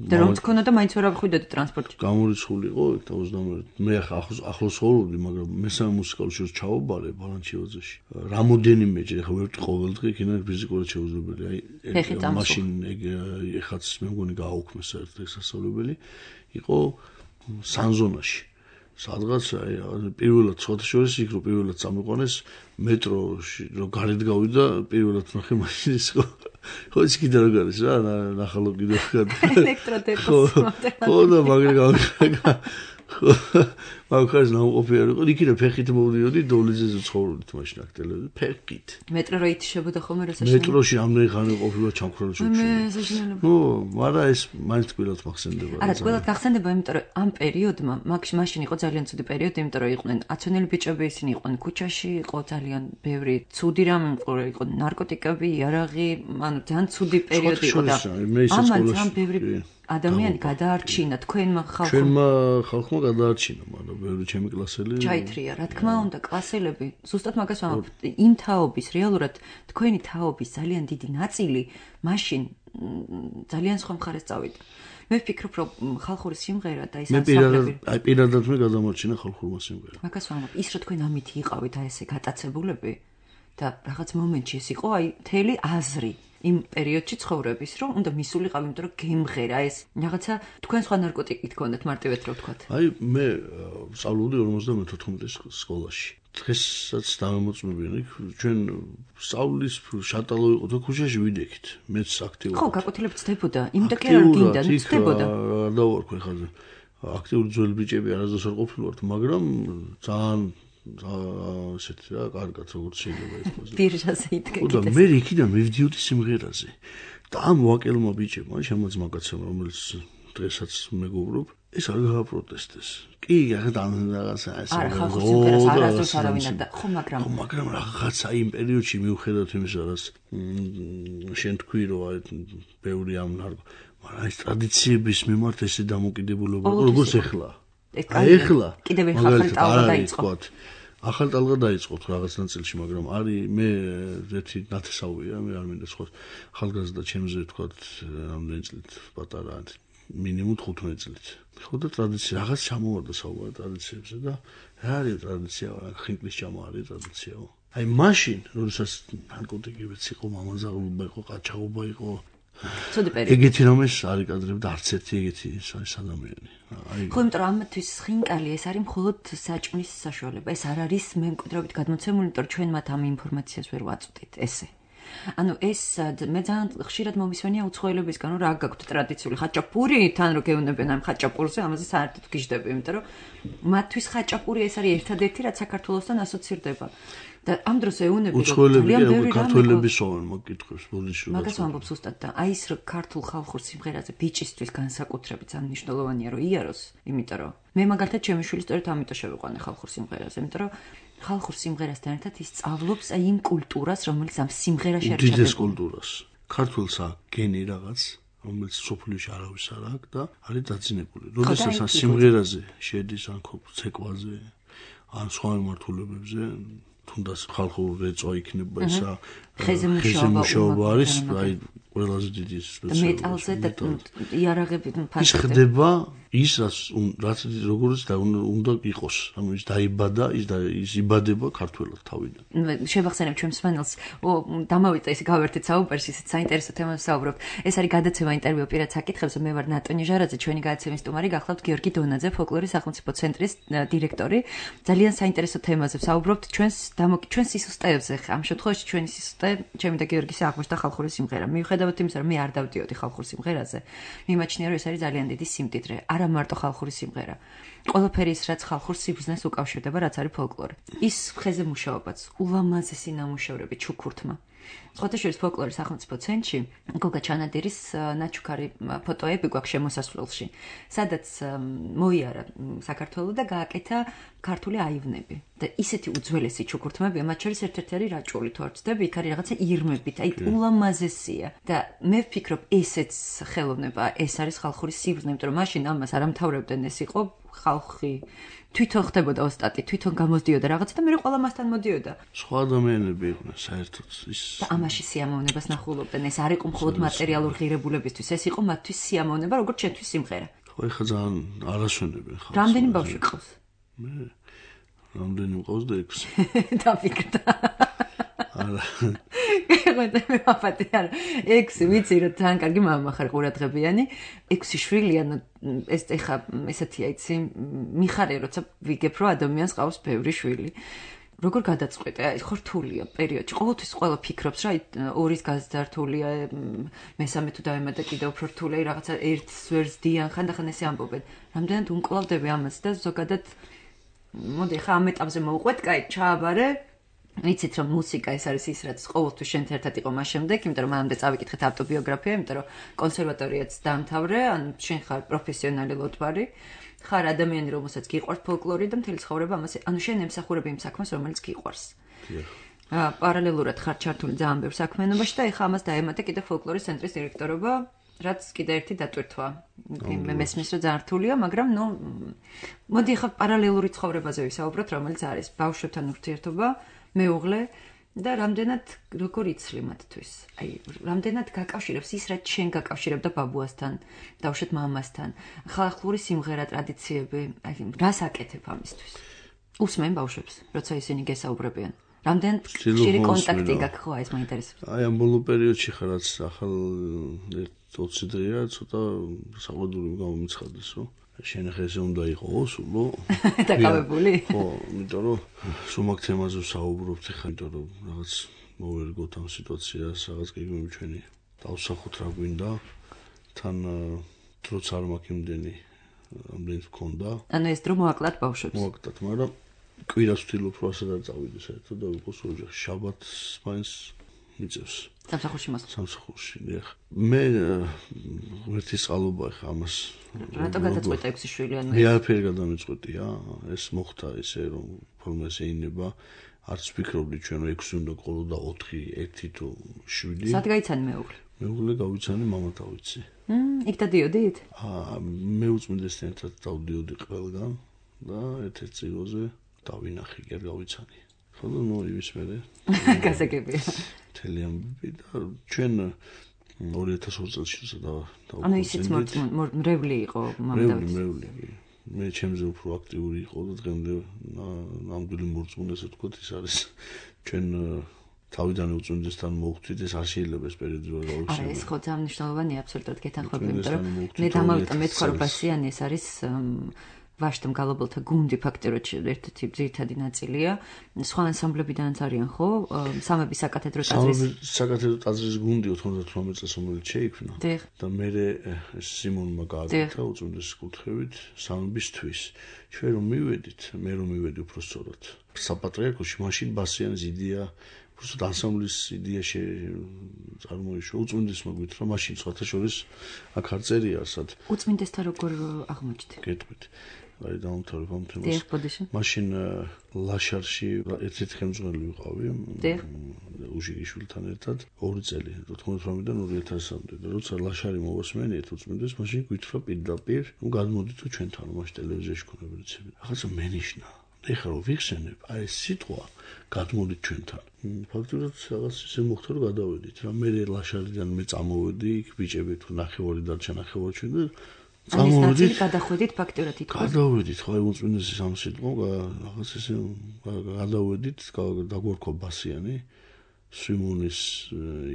და რომ თქონდა და მაინც ვერ ავხვიდოდი ტრანსპორტში. გამორიცხული იყო იქ ოცდამერე. მე ახლა ახლოს ახლოს ხოვდი, მაგრამ მესამე მუსიკალურ შოუს ჩავაბარე ბალანჩიოძეში. რამოდენიმეჯერ ახლა ვერ ყოველდღე იქიდან ფიზიკურად შეუძლებელი. აი, მაშინ ეხაც მე მგონი გააუქმეს საერთოდ სასწავლებელი. იყო სანზონაში. სადღაც აი პირველად სხვათა შორის იქ რო პირველად წამიყვანეს მეტროში რო გარეთ გავიდა პირველად ნახე მაშინ ის ხო ხო ის კიდე რო გარის რა ნახალო კიდე ელექტროდეპოს ხო და მაგრამ მაგას ნაუყოფი არ იყო იქიდან ფეხით მოვდიოდი დოლიძეზე ცხოვრობდით მაშინ აქტელები ფეხით მეტრო რო ითშებოდა ხოლმე რა საშინელი მეტროში ამდენი ხანი ყოფილა ჩამქრალ შუქში მე საშინელი ნუ მაგრამ ეს მაინც ყველად მახსენდება არა ყველად გახსენდება იმიტომ რომ ამ პერიოდმა მაშინ იყო ძალიან ცუდი პერიოდი იმიტომ რომ იყვნენ აცონელი ბიჭები ისინი იყვნენ ქუჩაში იყო ძალიან ბევრი ცუდი რამ იყო ნარკოტიკები იარაღი ანუ ძალიან ცუდი პერიოდი იყო და ამან ძალიან ბევრი ადამიანი გადაარჩინა თქვენმა ხალხმა ჩვენმა ხალხმა გადაარჩინა მაგრამ ბევრი ჩემი კლასელი ჩაითრია რა თქმა უნდა კლასელები ზუსტად მაგას ვამბობ იმ თაობის რეალურად თქვენი თაობის ძალიან დიდი ნაწილი მაშინ ძალიან სხვა მხარეს წავიდა მე ვფიქრობ რომ ხალხური სიმღერა და ის ანსამბლები აი პირადად მე გადამორჩინა ხალხურმა სიმღერა მაგას ვამბობ ის რომ თქვენ ამით იყავით აი ესე გატაცებულები და რაღაც მომენტში ეს იყო აი მთელი აზრი იმ პერიოდში ცხოვრების, რომ უნდა მისულიყავ, იმიტომ რომ გემღერა ეს რაღაცა თქვენ სხვა ნარკოტიკით გქონდათ მარტივად რო ვთქვათ. აი მე სწავლობდი ორმოცდამეთოთხმეტე სკოლაში. დღესაც დამემოწმებიან იქ ჩვენ სწავლის შატალო იყო და ქუჩაში ვიდექით. მეც აქტიურად. ხო, გაკვეთილებით ცდებოდა. იმიტომ კი არ გინდა, ცდებოდა. და ვარ ხაზე. აქტიური ძველი ბიჭები არასდროს არ ყოფილვართ, მაგრამ ძალიან ასეთი რა, კარგად როგორც შეიძლება ითქვას. ბირჟაზე იდგა კიდე. და მე იქიდან მივდიოდი სიმღერაზე. და ამ ვაკელმა ბიჭებმა, შემოც მაგაცემ, რომელიც დღესაც მეგობრობ, ეს არ გააპროტესტეს. კი, რაღაცა რაღაცა ეს. არა, ხალხურ სიმღერას არასდროს არავინ არ და ხო, მაგრამ ხო, მაგრამ რაღაცა იმ პერიოდში მიუხედავად იმისა, რაც შენ თქვი, რომ აი ბევრი ამ ნარკო, მაგრამ ეს ტრადიციების მიმართ ესე დამოკიდებულება, როგორც ეხლა. აი ეხლა კიდევ ახალი ტალღა დაიწყო. ახალ ტალღა დაიწყო რაღაც ნაწილში, მაგრამ არის მე ერთი ნათესავია, მე არ მინდა სხვა ახალგაზრდა ჩემზე ვთქვათ, რამდენი წლით პატარა, მინიმუმ ხუთმეტ წლით. ხო და ტრადიცია რაღაც ჩამოვარდა საუბარი ტრადიციებზე და რა არის ტრადიცია, ხინკლის ჭამა არის ტრადიციაო. აი მაშინ, როდესაც ნარკოტიკებიც იყო, მამაზაღლობა იყო, ყაჩაღობა იყო. ცუდი პერიოდი. ეგეთი რომ ეს არ იკადრებდა არც ერთი ეგეთი ეს ადამიანი. აი ხო, იმიტომ რომ ამათვის ხინკალი ეს არის მხოლოდ საჭმლის საშუალება. ეს არ არის მემკვიდრეობით გადმოცემული, იმიტომ რომ ჩვენ მათ ამ ინფორმაციას ვერ ვაწვდით ესე. ანუ ეს მე ძალიან ხშირად მომისვენია უცხოელებისგან, რომ რა გაქვთ ტრადიციული ხაჭაპური, თან რო გეუნებენ ამ ხაჭაპურზე, ამაზე საერთოდ გიждები, იმიტომ რომ მათთვის ხაჭაპური ეს არის ერთადერთი, რაც საქართველოსთან ასოცირდება. და ამ დროს ეუნები ძალიან ბევრი ქართველების სოვენ მოკითხებს ბოდიში. მაგას ვამბობ ზუსტად და აი ეს რო ქართულ ხალხურ სიმღერაზე ბიჭისთვის განსაკუთრებით ძალიან მნიშვნელოვანია რომ იაროს, იმიტომ რომ მე მაგალითად ჩემი შვილი სწორედ ამიტომ შევიყვანე ხალხურ სიმღერაზე, იმიტომ რომ ხალხურ სიმღერასთან ერთად ის სწავლობს აი იმ კულტურას, რომელიც ამ სიმღერაში არის ჩადებული. უდიდეს კულტურას. ქართულს აქვს გენი რაღაც, რომელიც სოფლიოში არავის არ აქვს და არის დაძინებული. როდესაც ამ სიმღერაზე შედის ან ცეკვაზე, ან სხვა მიმართულებებზე თუნდაც ხალხურ რეწვა იქნება ისა ხეზე მუშაობა არის, აი ყველაზე დიდი სპეციალური მეტალზე და იარაღებით ფასად. ის ხდება ის რაც როგორც და უნდა იყოს. ანუ ის დაიბადა, ის და ის იბადება ქართველად თავიდან. შევახსენებ ჩვენ მსმენელს, დამავიწა ის გავერთეთ საუბარში, ისეთ საინტერესო თემას საუბრობთ. ეს არის გადაცემა ინტერვიუ პირად საკითხებზე. მე ვარ ნატონი ჟარაძე, ჩვენი გადაცემის სტუმარი, გახლავთ გიორგი დონაძე, ფოლკლორის სახელმწიფო ცენტრის დირექტორი. ძალიან საინტერესო თემაზე საუბრობთ. ჩვენს ჩვენ სისუსტეებზე. ამ შემთხვევაში ჩვენი სისუსტე, ჩემი და გიორგის აღმოჩნდა ხალხური სიმღერა. მიუხედავად იმისა, რომ მე არ დავდიოდი ხალხურ სიმღერაზე, მიმაჩნია, რომ ეს არის ძალიან დიდი სიმდიდრე. არა მარტო ხალხური სიმღერა. ყველაფერი ის, რაც ხალხურ სიბრძნეს უკავშირდება, რაც არის ფოლკლორი. ის ხეზე მუშაობაც, ულამაზესი ნამუშევრები ჩუქურთმა. სხვათაშორის ფოლკლორის სახელმწიფო ცენტრში გოგა ჩანადირის ნაჩუქარი ფოტოები გვაქვს შემოსასვლელში, სადაც მოიარა საქართველო და გააკეთა ქართული აივნები. და ისეთი უძველესი ჩუქურთმებია, მათ შორის ერთ-ერთი არის რაჭული, თუ არ ვცდები, იქ არის რაღაცა ირმებით, აი ულამაზესია. და მე ვფიქრობ, ესეც ხელოვნება, ეს არის ხალხური სიბრძნე, იმიტომ რომ მაშინ ამას არ ამთავრებდნენ, ეს იყო ხალხი თვითონ ხდებოდა ოსტატი, თვითონ გამოსდიოდა რაღაცა და მე ყველა მასთან მოდიოდა. სხვა ადამიანები იყვნენ საერთოდ ის. და ამაში სიამოვნებას ნახულობდნენ. ეს არ იყო მხოლოდ მატერიალურ ღირებულებისთვის, ეს იყო მათთვის სიამოვნება, როგორც ჩვენთვის სიმღერა. ხო, ეხლა ძალიან არასვენებენ ხალხს. რამდენი ბავშვი ყავს? მე რამდენი მყავს და ექვსი. დაფიქრდა. არა. მე ვაფათე არა. ექვსი ვიცი რომ ძალიან კარგი მამა ხარ ყურადღებიანი. ექვსი შვილი ანუ ეს ეხა ესეთია იცი მიხარე როცა ვიგებ რომ ადამიანს ყავს ბევრი შვილი. როგორ გადაწყვეტე? აი ხო რთულია პერიოდში. ყოველთვის ყველა ფიქრობს რა ორის გაზრდართულია, მესამე თუ დავემატე კიდევ უფრო რთულია, რაღაცა ერთს ვერს დიან, ხანდახან ესე ამბობენ. რამდენად უმკლავდები ამას და ზოგადად მოდი ხა ამ ეტაპზე მოვყვეთ, კაი, ჩააბარე. ვიცით რომ მუსიკა ეს არის ის რაც ყოველთვის შენთან ერთად იყო მას შემდეგ, იმიტომ რომ მანამდე წავიკითხეთ ავტობიოგრაფია, იმიტომ რომ კონსერვატორიაც დაამთავრე, ან შენ ხარ პროფესიონალი ლოტბარი, ხარ ადამიანი რომელსაც გიყვარს ფოლკლორი და მთელი ცხოვრება ამაზე, ანუ შენ ემსახურები იმ საქმეს რომელიც გიყვარს. აა პარალელურად ხარ ჩართული ძალიან ბევრ საქმიანობაში და ეხა ამას დაემატე კიდე ფოლკლორის ცენტრის დირექტორობა, რაც კიდე ერთი დატვირთვა. მე მესმის რომ ძალიან რთულია, მაგრამ ნუ მოდი ეხა პარალელური ცხოვრებაზე ვისაუბროთ, რომელიც არის ბავშვებთან ურთიერთობა, მეუღლე და რამდენად როგორ იცლი მათთვის. აი, რამდენად გაკავშირებს ის, რაც შენ გაკავშირებდა ბაბუასთან, დავუშვათ მამასთან. ხალხური სიმღერა, ტრადიციები, აი, რას აკეთებ ამისთვის? უსმენ ბავშვებს, როცა ისინი გესაუბრებიან. რამდენ ხშირი კონტაქტი გაქვს ხო ეს მაინტერესებს. აი ამ ბოლო პერიოდში ხარ რაც ახალ ოცი დღეა ცოტა საყვედური გამომიცხადეს რომ შენახეს უნდა იყო სულო დაკავებული ხო იმიტომ რომ სულ თემაზე საუბრობთ ხა იმიტომ რომ რაღაც მოვერგოთ ამ სიტუაციას რაღაც გეგმები ჩვენი დავსახოთ რა გვინდა თან დროც არ მაქვს იმდენი ამდენს მქონდა ანუ ეს დრო მოაკლათ ბავშვებს მოაკლათ მაგრამ კვირას ვთილობ რომ ასადაც წავიდეს საერთოდ და ვიყოს ოჯახში შაბათს მაინც მიწევს სამსახურში მას სამსახურში ნახ მე ვერთი წყალობა ხა ამას რატო გადაწყვეტა ექვსი შვილი ანუ მე არაფერი გადამეწყვეტია ეს მოხდა ესე რომ ფორმაზე ინება არც ვფიქრობდი ჩვენ რომ ექვსი უნდა ყოლოდა ოთხი ერთი თუ შვიდი სად გაიცანი მეუღლე მეუღლე გავიცანი მამა დავიცი მმ იქ დადიოდით აა მე უწმინდესთან ერთად დავდიოდი ყველგან და ერთ-ერთ წიროზე დავინახე კი გავიცანი ხო და ნუ იმის მერე გასაგებია მთელი ამბები და ჩვენ ორი ათას ორი წელს და ანუ ისიც მრევლი იყო მამა დავიცი მრევლი მრევლი მე ჩემზე უფრო აქტიური იყო და დღემდე ნამდვილი მორწმუნე ესე ვთქვათ ის არის ჩვენ თავიდან უწმინდესთან მოვხვდით ეს არ შეიძლება ეს პერიოდი რომ გავიხსენო არა ეს ხო ძალიან მნიშვნელოვანია აბსოლუტურად გეთანხმები იმიტომ რომ მე დამავიტა მეთქვა რომ ბასიანი ეს არის ვაშტა მგალობელთა გუნდი ფაქტობრივად ერთ-ერთი ძირითადი ნაწილია. სხვა ანსამბლებიდანაც არიან ხო? სამების საკათედრო ტაძრის საკათედრო ტაძრის გუნდი ოთხმოცდათვრამეტ წელს რომელიც შეიქმნა. და მე სიმონმა გააკეთა უწმინდეს კუთხევით სამებისთვის. ჩვენ რომ მივედით, მე რომ მივედი უფრო სწორად. საპატრიარქოში მაშინ ბასიანის იდეა უბრალოდ ანსამბლის იდეა წარმოიშვა. უწმინდესმა გვითხრა მაშინ სხვათა შორის აქ არ წერია ასად. უწმინდესთან როგორ აღმოჩნდი? გეტყვით. აი დაუნთავრებ ამ თემას. მაშინ ლაშარში ერთ-ერთი ხელმძღვანელი ვიყავი. უჟიგიშვილთან ერთად ორი წელი ოთხმოცდათვრამეტიდან ორი ათასამდე და როცა ლაშარი მოვასმენიეთ უწმინდეს მაშინ გვითხრა პირდაპირ ნუ გადმოდით ჩვენთან მაშინ ტელევიზიაში ქონდა რეცები. ახლა მენიშნა ეხლა რომ ვიხსენებ აი ეს სიტყვა გადმოდით ჩვენთან. ფაქტობრივად რაღაც ისე მოხდა რომ გადავედით რა მე ლაშარიდან მე წამოვედი იქ ბიჭები თუ ნახევარი დარჩა ნახევარი ჩვენ და წამოვედით გადახვედით ფაქტობრივად ითქვა გადავედით ხო აი უწმინდეს ამ სიტყვა რაღაც ისე გადავედით დაგვარქვა ბასიანი სვიმონის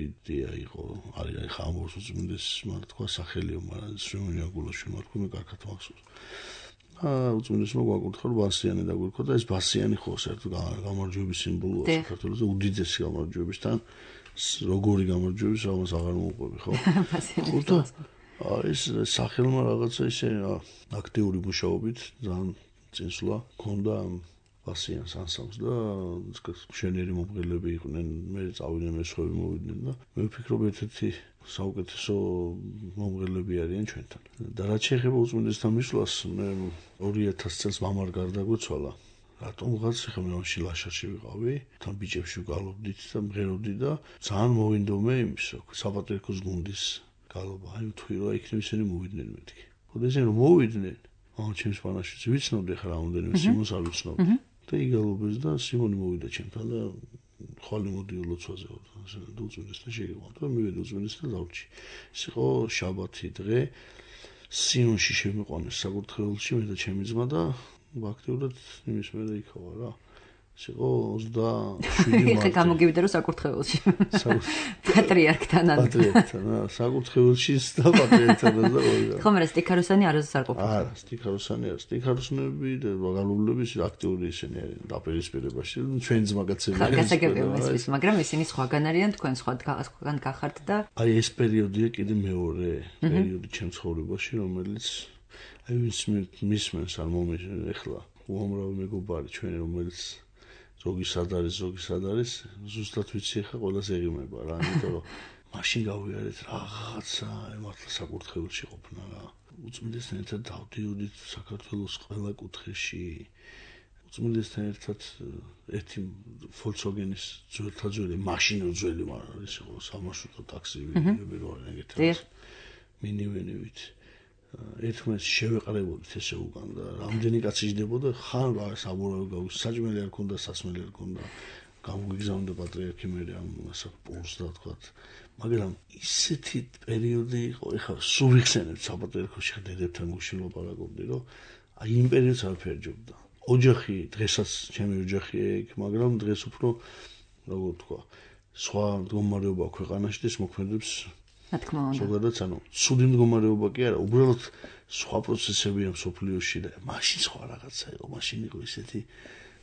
იდეა იყო არის აი ხამოს უწმინდეს მაგრამ თქვა სახელიო მაგრამ სვიმონი აგულაში მარქო მე კარგად მახსოვს უწმინდესმა გვაკურთხა რომ ბასიანი დაგვირქვა და ეს ბასიანი ხო საერთოდ გამარჯვების სიმბოლოა საქართველოს და უდიდესი გამარჯვებისთან როგორი გამარჯვების ამას აღარ მოუყვები ხო ბასიანი ეს სახელმა რაღაცა ისე აქტიური მუშაობით ძალიან წინსვლა ქონდა ბასიანს ანსამბლს და მშვენიერი მომღერლები იყვნენ მე წავიდნენ მესხები მოვიდნენ და მე ვფიქრობ ერთ-ერთი საუკეთესო მომღერლები არიან ჩვენთან და რაც შეეხება უწმინდესთან მისვლას მე ორი ათას წელს მამარ გარდაგვეცვალა რატომ ვიღაც ხა მე მაშინ ლაშარში ვიყავი თან ბიჭებში ვგალობდით და მღეროდი და ძალიან მოვინდომე იმის რომ საპატრიარქოს გუნდის გალობა აი ვთქვი რომ იქნებ ისინი მოვიდნენ მეთქი ხოდა ისინი რომ მოვიდნენ აა ჩემს პანაშიც ვიცნობდი ხა რამოდენიმე სიმონს არ ვიცნობდი და იგალობეს და სიმონი მოვიდა ჩემთან და ხვალ მოდიო ლოცვაზე და უწმინდესთან შეიყვანო და მივედი უწმინდესთან დავრჩი ეს იყო შაბათი დღე სიონში შემიყვანეს საკურთხეველში მე და ჩემი ძმა და ფაქტობრივად იმის მერე იქავა რა ეს იყო ოცდაშვიდი მარტი გამოგივიდა რომ საკურთხეველში პატრიარქთან ან პატრიარქთან საკურთხეველში და პატრიარქთან და ორი ხომ რა სტიქაროსანი არასდროს არ ყოფილა არა სტიქაროსანი არა სტიქაროსნები და გალობლების აქტიური ისინი არიან დაპირისპირებაში ჩვენ ძმაკაცები გასაგებია ეს მაგრამ ისინი სხვაგან არიან თქვენ სხვა სხვაგან გახართ და აი ეს პერიოდია კიდე მეორე პერიოდი ჩემ ცხოვრებაში რომელიც აი ვინც მისმენს არ მომეშენ ეხლა უამრავი მეგობარი ჩვენი რომელიც ზოგი სად არის ზოგი სად არის ზუსტად ვიცი ხა ყველას ეღიმება რა იმიტომ რომ მაშინ გავიარეთ რაღაცა მართლა საკურთხეველში ყოფნა რა უწმინდესთან ერთად დავდიოდით საქართველოს ყველა კუთხეში უწმინდესთან ერთად ერთი Volkswagen-ის ძველი მაშინა ძველი მაგრამ ის იყო სამარშრუტო ტაქსი ვიღები რო არის ეგეთი მინივენივით ერთმანეთს შევეყრებოდით ესე უკან და რამდენი კაცი იჯდებოდა ხან საბურავი გავის საჭმელი არ ქონდა სასმელი არ ქონდა გამოგიგზავნდა პატრიარქი მე ამ ასა პულს და თქვა მაგრამ ისეთი პერიოდი იყო ეხლა სულ ვიხსენებ საპატრიარქოში დედებთან გუშინ ლაპარაკობდი რომ აი იმ პერიოდს არ ფერჯობდა ოჯახი დღესაც ჩემი ოჯახი ეგ, მაგრამ დღეს უფრო როგორ თქვა, სხვა მდგომარეობა ქვეყანაში და ეს მოქმედებს რა თქმა უნდა. ზოგადად, ანუ ცუდი მდგომარეობა კი არა, უბრალოდ სხვა პროცესებია მსოფლიოში და მაშინ სხვა რაღაცა იყო, მაშინ იყო ისეთი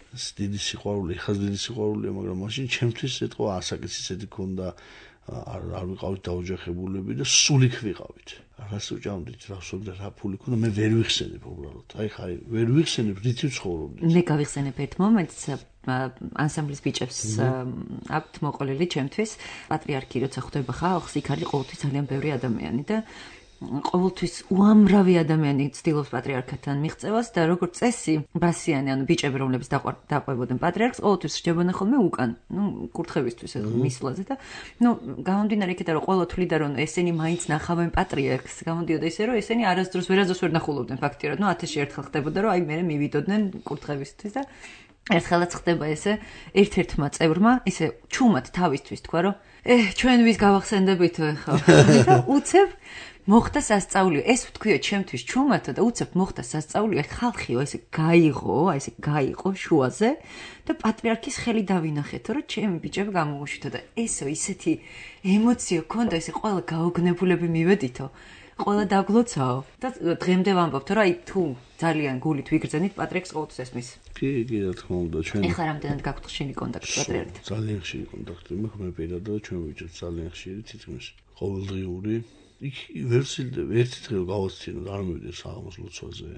დიდი სიყვარული, ხაზ დიდი სიყვარულია, მაგრამ მაშინ ჩემთვის ეთქვა ასაკიც ისეთი ქონდა, არ არ ვიყავით დაოჯახებულები და სულ იქ ვიყავით. რას უჭამდით, რა ვსვამდა, რა ფული ქონდა, მე ვერ ვიხსენებ უბრალოდ. აი ხარი, ვერ ვიხსენებ, რითი ვცხოვრობდით. მე გავიხსენებ ერთ მომენტს ანსამბლის ბიჭებს აქვთ მოყოლილი ჩემთვის. პატრიარქი როცა ხვდება ხალხს, იქ არის ყოველთვის ძალიან ბევრი ადამიანი და ყოველთვის უამრავი ადამიანი ცდილობს პატრიარქთან მიღწევას და როგორც წესი, ბასიანი, ანუ ბიჭები, რომლებიც დაყვებოდნენ პატრიარქს, ყოველთვის რჩებოდნენ ხოლმე უკან, ნუ კურთხევისთვის მისვლაზე და ნუ გამომდინარე იქიდან, რომ ყველა თვლიდა, რომ ესენი მაინც ნახავენ პატრიარქს, გამოდიოდა ისე, რომ ესენი არასდროს ვერასდროს ვერ ნახულობდნენ ფაქტიურად, ნუ ათასში ერთხელ ხდებოდა, რომ აი მე მივიდოდნენ კურთხევისთვის და ერთხელაც ხდება ესე ერთ-ერთმა წევრმა ისე ჩუმად თავისთვის თქვა, რომ ე ჩვენ ვის გავახსენდებითო ხო და უცებ მოხდა სასწაულიო. ეს ვთქვიო ჩემთვის ჩუმათო და უცებ მოხდა სასწაულიო. ხალხიო ესე გაიღო, აი ესე გაიყო შუაზე და პატრიარქის ხელი დავინახეთო, რომ ჩემი ბიჭები გამოგუშითო და ესო ისეთი ემოციო ქონდა, ესე ყველა გაოგნებულები მივედითო. ყველა დაგლოცაო და დღემდე ვამბობთ, რომ აი თუ ძალიან გულით ვიგრძენით პატრიარქს ყოველთვის ესმის. კი, კი, რა თქმა უნდა, ჩვენ ეხლა რამდენად გაქვთ ხშირი კონტაქტი პატრიარქთან? ძალიან ხშირი კონტაქტი მაქვს, მე პირადად ჩვენ ვიჭერთ ძალიან ხშირი, თითქმის ყოველდღიური. იქ ვერ ვცილდები, ერთი დღე გავაცინოთ, არ მივიდე საღამოს ლოცვაზე,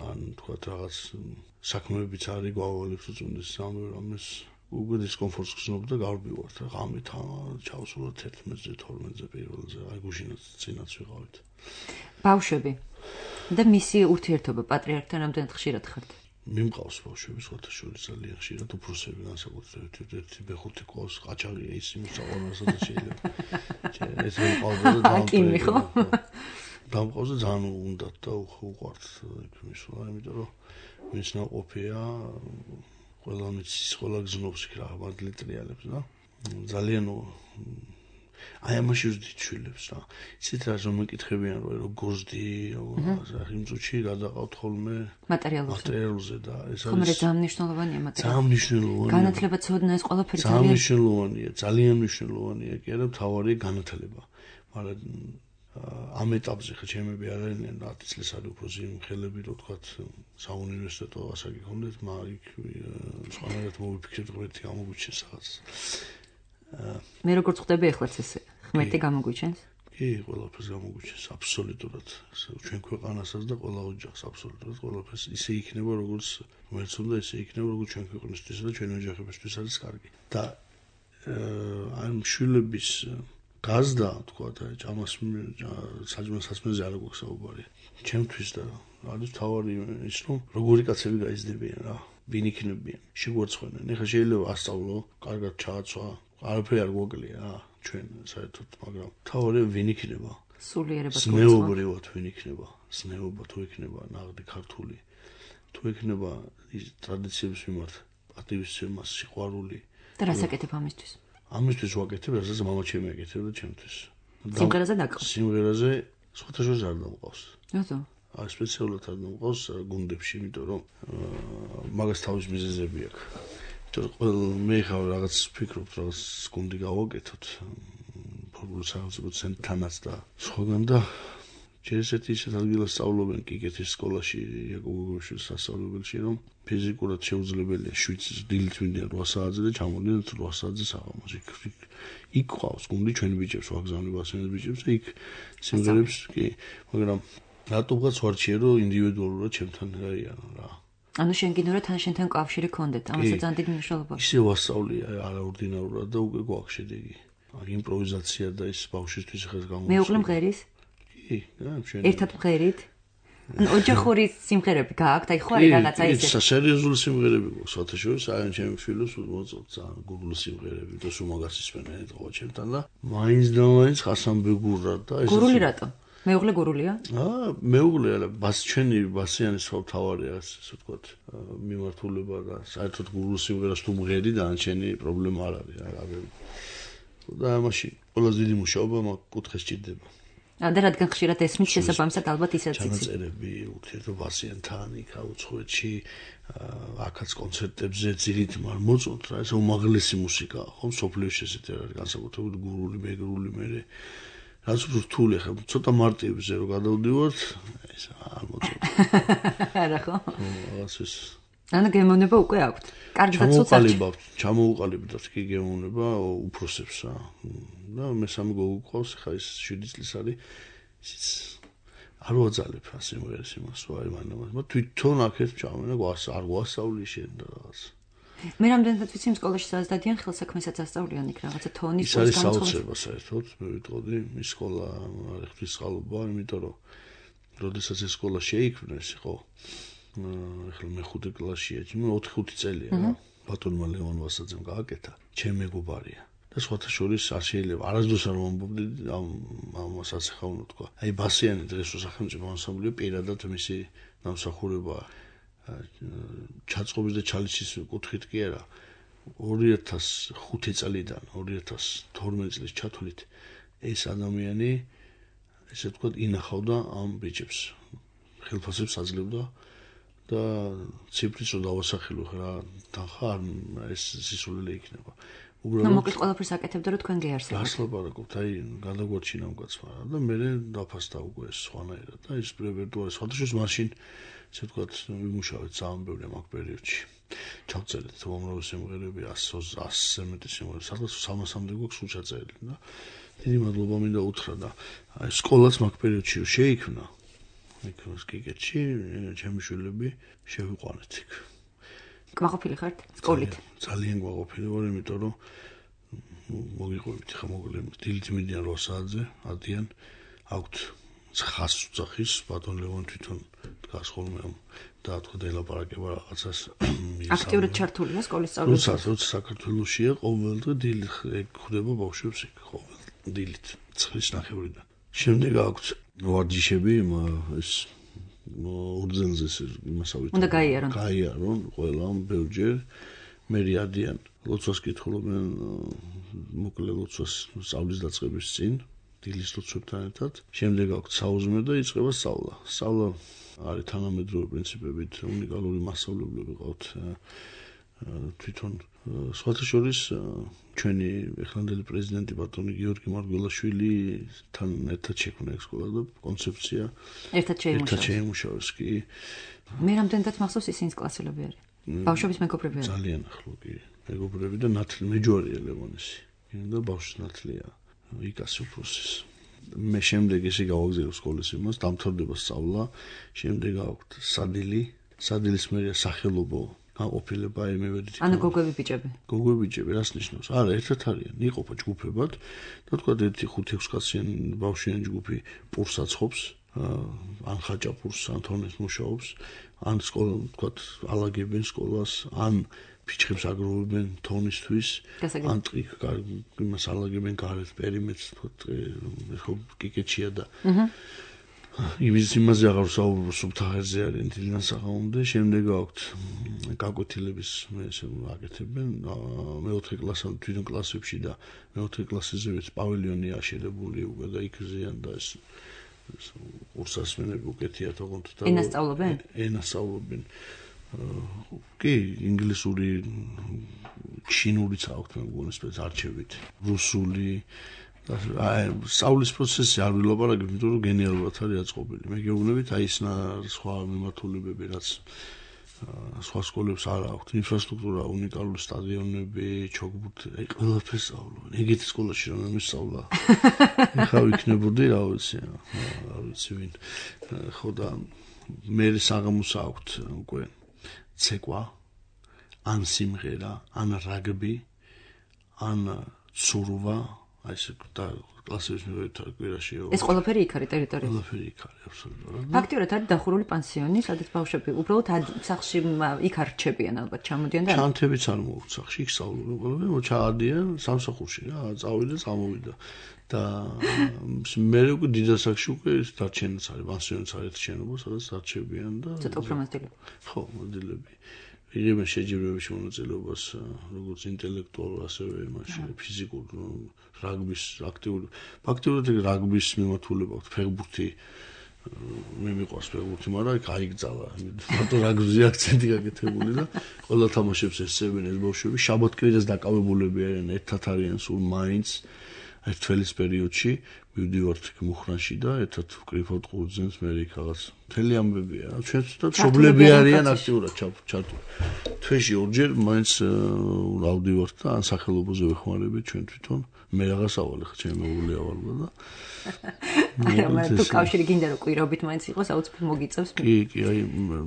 ან თქვათ რაღაც საქმეებიც არის გვავალებს უწუნდეს სამე რამეს უკვე დისკომფორტს გრძნობ და გავბივართ რა ღამით ჩავსულოთ ერთმეცზე თორმეტზე პირველზე, აი გუშინაც წინაც ვიყავით. ბავშვები და მისი ურთიერთობა პატრიარქთან რამდენად ხშირად ხართ? მიმყავს ბავშვები სხვათა შორის ძალიან ხშირად, უფროსები განსაკუთრებით ერთი ბეხუთი ყავს, ყაჩაღია ის იმის საყვარელსა და შეიძლება. ეს მიყავდა და აკიმი ხო? დამყავს და ძალიან უნდათ და უყვართ იქ მისვლა, იმიტომ რომ ვინც ნაყოფია, ყველა მიცის, ყველა გზნობს იქ რა, მადლი ტრიალებს და ძალიან აი ამაში ვზდით შვილებს რა. ისეთ რას რომ მეკითხებიან რომ როგორზდი, როგორ იმ წუთში გადაყავთ ხოლმე მატერიალურზე და ეს არის ხომ რა ძალიან მნიშვნელოვანია მატერიალი. ძალიან მნიშვნელოვანია. განათლება, ცოდნა ეს ყველაფერი ძალიან მნიშვნელოვანია, ძალიან მნიშვნელოვანია კი არა, მთავარია განათლება. მაგრამ ამ ეტაპზე ხა ჩემები არ არიან ათი წლის არის უფრო სიმხელები რო თქვათ საუნივერსიტეტო ასაკი ქონდეთ, მაგრამ იქ სხვანაირად მოვიფიქრეთ ღმერთი გამოგვიჩენს რაღაც. მე როგორც ხვდები ეხლაც ესე ღმერთი გამოგვიჩენს? კი, ყველაფერს გამოგვიჩენს აბსოლუტურად. ჩვენ ქვეყანასაც და ყველა ოჯახს აბსოლუტურად ყველაფერს ისე იქნება როგორც ღმერთს უნდა ისე იქნება როგორც ჩვენ ქვეყნისთვის და ჩვენ ოჯახებისთვის არის კარგი. და ამ შვილების გაზდა, თქვათ, ჭამას საჭმელ სასმელზე არ გვაქვს საუბარი. ჩემთვის და არის თავარი ის, რომ როგორი კაცები გაიზრდებიან რა, ვინ იქნებიან, შეგვარცხვენენ. ეხლა შეიძლება ასწავლო, კარგად ჩააცვა, არაფერი არ გვაკლია რა, ჩვენ საერთოდ, მაგრამ თავარი ვინ იქნება? სულიერება თუ ზნეობრივად ვინ იქნება? ზნეობა თუ იქნება ნაღდი ქართული, თუ იქნება ის ტრადიციების მიმართ პატივისცემა, სიყვარული. და რას აკეთებ ამისთვის? ამისთვის ვაკეთებ, რასაც მამა ჩემი აკეთებდა ჩემთვის. სიმღერაზე დაკავს. სიმღერაზე სხვათა შორის არ დამყავს. რატო? აი სპეციალურად არ დამყავს გუნდებში, იმიტომ რომ მაგას თავის მიზეზები აქვს. იმიტომ რომ მე ხარ რაღაც ვფიქრობ, რაღაც გუნდი გავაკეთოთ. ფორმულ სახელმწიფო ცენტრთანაც და სხვაგან და ჯერესეთი ისეთ ადგილას სწავლობენ კიკეთის სკოლაში, იაკობოვის სასწავლებელში, რომ ფიზიკურად შეუძლებელია შვიდ დილით ვინდიან რვა საათზე და ჩამოდიან რვა საათზე საღამოს. იქ ყავს გუნდი ჩვენ ბიჭებს, ვაგზავნებ ასენებს ბიჭებს და იქ სიმღერებს კი, მაგრამ რატომღაც ვარჩიე რომ ინდივიდუალურად ჩემთან გაიანო რა. ანუ შენ გინდა თან შენთან კავშირი გქონდეთ, ამასაც ძალიან დიდი მნიშვნელობა. ისე ვასწავლია არაორდინარულად და უკვე გვაქვს შედეგი. აი იმპროვიზაცია და ის ბავშვისთვის ხეს გამოიწვია. მეუღლე მღერის? კი, ჩვენ ერთად მღერით? ოჯახური სიმღერები გააქვთ, აი ხო არის რაღაცა ისე. კი, სერიოზული სიმღერები გვაქვს, სხვათა შორის, აი ჩემი ფილოს მოწოდს ძალიან გუგლ სიმღერები და სულ მაგას ისმენენ ეთქვა ჩემთან და მაინც და მაინც ხასან ბეგურა და ეს გურული რატო? მეუღლე გურულია? აა, მეუღლე არა, ბას ჩვენი ბასიანის სხვა თავარია, ასე ვთქვათ, მიმართულება და საერთოდ გურულ სიმღერას თუ მღერი და ანჩენი პრობლემა არ არის, არა. და ამაში ყველაზე დიდი მუშაობა მაგ კუთხეს ჭირდება. და რადგან ხშირად ესმის შესაბამისად ალბათ ისეც იცი. ჩანაწერები ურთიერთობასიანთან იქა უცხოეთში აქაც კონცერტებზე ძირით მარ მოწონთ რა ეს უმაღლესი მუსიკა ხო სოფლიოში ესეთი არის განსაკუთრებით გურული მეგრული მე რაც რთული ხა ცოტა მარტივზე რო გადავდივართ ეს არ მოწონთ. არა ხო? ხო ეს ანა გემოვნება უკვე აქვთ. კარგად ჩამოუყალიბავთ, ჩამოუყალიბდათ კი გემოვნება უფროსებს რა. და მესამე გოგო ყავს ხა ის შვიდი წლის არის ისიც არ ვაძალებ ასე მოერეს იმას ვაი მანამ მაგრამ თვითონ აქეთ ჩავენა გვას არ გვასწავლი შენ და რაღაც მე რამდენად ვიცი იმ სკოლაში სადაც დადიან ხელსაქმესაც ასწავლიან იქ რაღაცა თონის ის არის საოცრება საერთოდ მე ვიტყოდი ის სკოლა არის ღვთისმსხალობა იმიტომ რომ როდესაც ეს სკოლა შეიქმნეს ხო ახლა მე ხუთი კლასშია მე ოთხი ხუთი წელია რა ბატონმა ლევან ვასაძემ გააკეთა ჩემი მეგობარია და სხვათა შორის არ შეიძლება არასდროს არ ვამბობდი ამ ამას ასახავნო თქვა აი ბასიანი დღეს სახელმწიფო ანსამბლი პირადად მისი დამსახურება ჩაწყობის და ჩალიშის კუთხით კი არა ორი ათას ხუთი წლიდან ორი ათას თორმეტ წლის ჩათვლით ეს ადამიანი ესე თქვა ინახავდა ამ ბიჭებს ხელფასებს აძლევდა და ციფრის რო დავასახელო რა თანხა ეს სისულელე იქნება უბრალოდ მოკლედ ყველაფერს აკეთებდა რომ თქვენ გეარსებათ გას ლაპარაკობთ აი გადაგვარჩინა მკაცმა და მე დაფასდა უკვე ეს სხვანაირად და ის რეპერტუარი სხვადასხვა მაშინ ესე ვთქვათ ვიმუშავეთ ძალიან ბევრი ამ პერიოდში ჩავწერეთ უამრავი სიმღერები ასზე მეტი სიმღერა სადღაც სამასამდე გვაქვს სულ ჩაწერილი და დიდი მადლობა მინდა უთხრა და აი სკოლაც მაგ პერიოდში შეიქმნა იქ სკიკეთში ჩემი შვილები შევიყვანეთ იქ კმაყოფილი ხართ სკოლით ძალიან კმაყოფილი ვარ იმიტომ რომ მოგიყვებით ხა მოგლე დილით მიდიან რვა საათზე ადიან აქვთ ხას უძახის ბატონ ლევან თვითონ დგას ხოლმე და თქვა დელაპარაკება რაღაცას აქტიურად ჩართულია სკოლის სწავლაში როცა როცა საქართველოშია ყოველდღე დილით ხდება ბავშვებს იქ ყოველ დილით ცხრის ნახევრიდან შემდეგ აქვთ ვარჯიშები ეს ურძენზე იმასავით უნდა გაიარონ გაიარონ ყველამ ბევრჯერ მე რიადიან ლოცვას კითხულობენ მოკლე ლოცვას სწავლის დაწყების წინ დილის ლოცვებთან ერთად შემდეგ აქვთ საუზმე და იწყება სწავლა სწავლა არის თანამედროვე პრინციპებით უნიკალური მასწავლებლები ყავთ თვითონ სხვათა შორის ჩვენი ეხლანდელი პრეზიდენტი ბატონი გიორგი მარგველაშვილთან ერთად შექმნა ეს სკოლა და კონცეფცია ერთად შეიმუშავეს ერთად შეიმუშავეს კი მე რამდენადაც მახსოვს ისინი კლასელები არის ბავშვების მეგობრები არის ძალიან ახლო კი მეგობრები და ნათლი მეჯვარია ლევონესი და ბავშვს ნათლია იკას უფროსის მე შემდეგ ესე გავაგზავნე სკოლის იმას დამთავრდება სწავლა შემდეგ აქვთ სადილი სადილის მერია სახელობო გაყოფილება მე ვედი ანუ გოგოები ბიჭები გოგოები ბიჭები რას ნიშნავს არა ერთად არიან იყოფა ჯგუფებად და თქვა ერთი ხუთი ექვსი კაციანი ბავშვიანი ჯგუფი პურს აცხობს ან ხაჭაპურს ან თორნეს მუშაობს ან სკოლა თქვა ალაგებენ სკოლას ან ფიჩხებს აგროვებენ თონისთვის ან ტყი იმას ალაგებენ გარეთ პერიმეტრს თქვა ხო კიკეჩია და იმის იმაზე აღარ საუბრობ სუბთაღერზე არის თილიდან საღამომდე შემდეგ აქვთ გაკვეთილების მე ესე აკეთებენ მეოთხე კლასამდე თვითონ კლასებში და მეოთხე კლასზე ვიც პავილიონი აშენებული უკვე და იქ ზიან და ეს კურსასმენები უკეთია თქონდ და ენასწავლობენ ენასწავლობენ კი ინგლისური ჩინურიც აქვთ მე მგონი სპეც არჩევით რუსული აი სწავლის პროცესი არ ვილაპარაკებ იმიტომ რომ გენიალურად არის აწყობილი მე გეუბნებით აი ეს სხვა მიმართულებები რაც სხვა სკოლებს არ აქვთ ინფრასტრუქტურა უნიკალური სტადიონები ჩოგბურთი აი ყველაფერს სწავლობენ ეგეთი სკოლაში რომ მისწავლა ხა ვიქნებოდი რა ვიცი რა ვიცი ვინ ხო და მე საღამოს აქვთ უკვე ცეკვა ან სიმღერა ან რაგბი ან ცურვა აი ეს და კლასების მივეთავ კვირაში ეს ყველაფერი იქ არის ტერიტორიაზე ყველაფერი იქ არის აბსოლუტურად ფაქტიურად არის დახურული პანსიონი სადაც ბავშვები უბრალოდ სახლში იქ არ რჩებიან ალბათ ჩამოდიან და ჩანთებიც არ მოუხთ სახლში იქ სწავლობენ ყველაფერი მოჩაადიან სამსახურში რა წავიდა წამოვიდა და მე უკვე დიდასაკში უკვე დარჩენაც არის პანსიონიც არის შენობა სადაც დარჩებიან და ცოტა უფრო მozilები ხო მozilები იღებენ შეჯიბრებებში მონაწილეობას როგორც ინტელექტუალურ, ასევე იმაში ფიზიკურ რაგბის აქტიური. ფაქტობრივად რაგბის მიმართულება აქვს ფეხბურთი მე მიყვარს ფეხბურთი, მაგრამ იქ აიგზალა. მარტო რაგბიზე აქცენტი გაკეთებული და ყველა თამაშებს ესწრებენ ეს ბავშვები. შაბათ-კვირას დაკავებულები არიან, ერთად არიან სულ მაინც ერთ თველის პერიოდში მივდივართ მუხრანში და ერთად ვკრიფავთ ყურძენს, მე იქ რაღაც მთელი ამბებია. ჩვენც და მშობლები არიან აქტიურად ჩართული. თვეში ორჯერ მაინც რავდივართ და ან სახელობაზე ვეხმარებით ჩვენ თვითონ. მე რაღაც ავალ ხა ჩემი მეუღლე ავალვა და არა მე თუ კავშირი გინდა რომ კვირობით მაინც იყოს აუცილებლად მოგიწევს. კი, კი, აი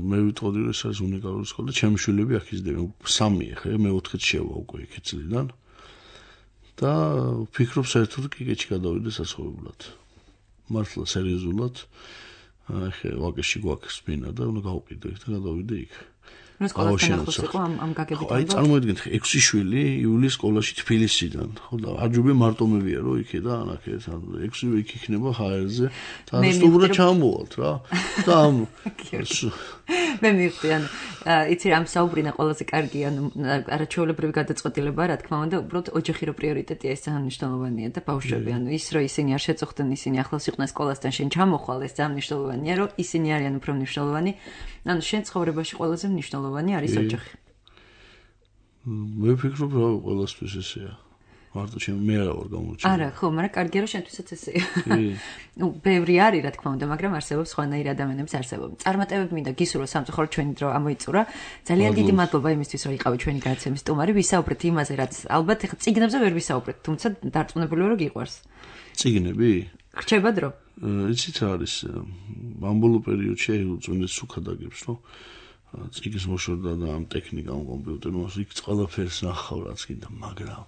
მე ვიტყოდი რომ ეს არის უნიკალური სკოლა და ჩემი შვილები აქ იზრდებიან. სამი ხე მე ოთხით შევა უკვე იქ წლიდან. და ვფიქრობ საერთოდ კიკეჩი გადავიდე საცხოვრებლად. მართლა სერიოზულად ახე ვაკეში გვაქვს ბინა და უნდა გავყიდო იქ და გადავიდე იქ. ნუ სკოლასთან ახლოს იყო ამ ამ გაგებით. აი წარმოიდგინეთ ექვსი შვილი იულის სკოლაში თბილისიდან. ხო და არჯობი მარტო მევია რომ იქე და ანახე ექვსი იქ იქნება ჰაერზე და სტუმრად ჩამოვალთ რა. და ამ მე მივხვდი ანუ იცი რამ საუბრინა ყველაზე კარგი ანუ არაჩვეულებრივი გადაწყვეტილება რა თქმა უნდა უბრალოდ ოჯახი რო პრიორიტეტია ეს ძალიან მნიშვნელოვანია და ბავშვები ანუ ის რომ ისინი არ შეწუხდნენ ისინი ახლოს იყვნენ სკოლასთან შენ ჩამოხვალ ეს ძალიან მნიშვნელოვანია რომ ისინი არიან უფრო მნიშვნელოვანი ანუ შენ ცხოვრებაში ყველაზე მნიშვნელოვანი არის ოჯახი მე ვფიქრობ რა ყველასთვის ესეა მარტო ჩემ მე არა ვარ გამოჩენილი. არა, ხო, მაგრამ კარგია რომ შენთვისაც ესეა. ნუ, ბევრი არის, რა თქმა უნდა, მაგრამ არსებობს სხვანაირი ადამიანების არსებობა. წარმატებები მინდა გისურვო სამწუხაროდ ჩვენი დრო ამოიწურა. ძალიან დიდი მადლობა იმისთვის, რომ იყავი ჩვენი გადაცემის სტუმარი. ვისაუბრეთ იმაზე, რაც ალბათ ეხლა წიგნებზე ვერ ვისაუბრეთ, თუმცა დარწმუნებული ვარ, რომ გიყვარს. წიგნები? რჩება დრო. იცით რა არის? ამ ბოლო პერიოდში უწმინდეს სუქადაგებს, რომ წიგნის მოშორდა და ამ ტექნიკამ კომპიუტერმა იქ ყველაფერს ნახავ, რაც კიდე, მაგრამ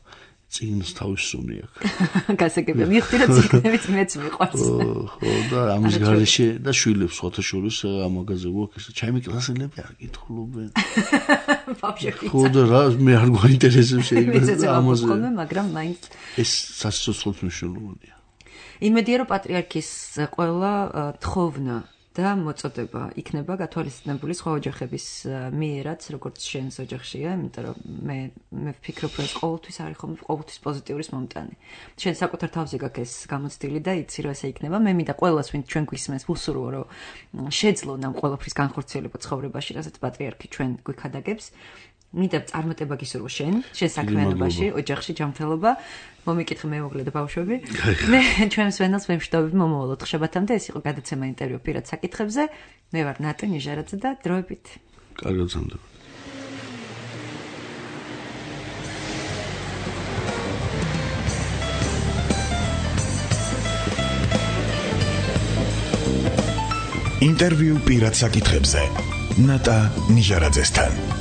წიგნს თავის სუნი აქვს. გასაგებია, მივხვდი რომ წიგნებიც მეც მიყვარს. ხო, და ამის გარეშე და შვილებს სხვათა შორის ამაგაზე გვაქვს, ჩემი კლასელები არ კითხულობენ. ბავშვები. ხო და რა მე არ გვაინტერესებს ეს ამაზე. მაგრამ მაინც ეს სასიცოცხლო მნიშვნელოვანია. იმედია რომ პატრიარქის ყველა თხოვნა და მოწოდება იქნება გათვალისწინებული სხვა ოჯახების მიერაც, როგორც შენს ოჯახშია, იმიტომ რომ მე მე ვფიქრობ, რომ ეს ყოველთვის არის ხომ ყოველთვის პოზიტიურის მომტანი. შენ საკუთარ თავზე გაქვს ეს გამოცდილი და იცი რომ ესე იქნება. მე მინდა ყველას, ვინც ჩვენ გვისმენს, ვუსურვო, რომ შეძლონ ამ ყველაფრის განხორციელება ცხოვრებაში, რასაც პატრიარქი ჩვენ გვიქადაგებს. მინდა წარმატება გისურვო შენ, შენ საქმიანობაში, ოჯახში ჯანმრთელობა, მომიკითხე მეუღლე და ბავშვები. მე ჩვენს ვენელს ვემშვიდობები მომავალ ოთხშაბათამდე, ეს იყო გადაცემა ინტერვიუ პირად საკითხებზე. მე ვარ ნატა ნიჟარაძე და დროებით. კარგად ზამდება. ინტერვიუ პირად საკითხებზე ნატა ნიჟარაძესთან.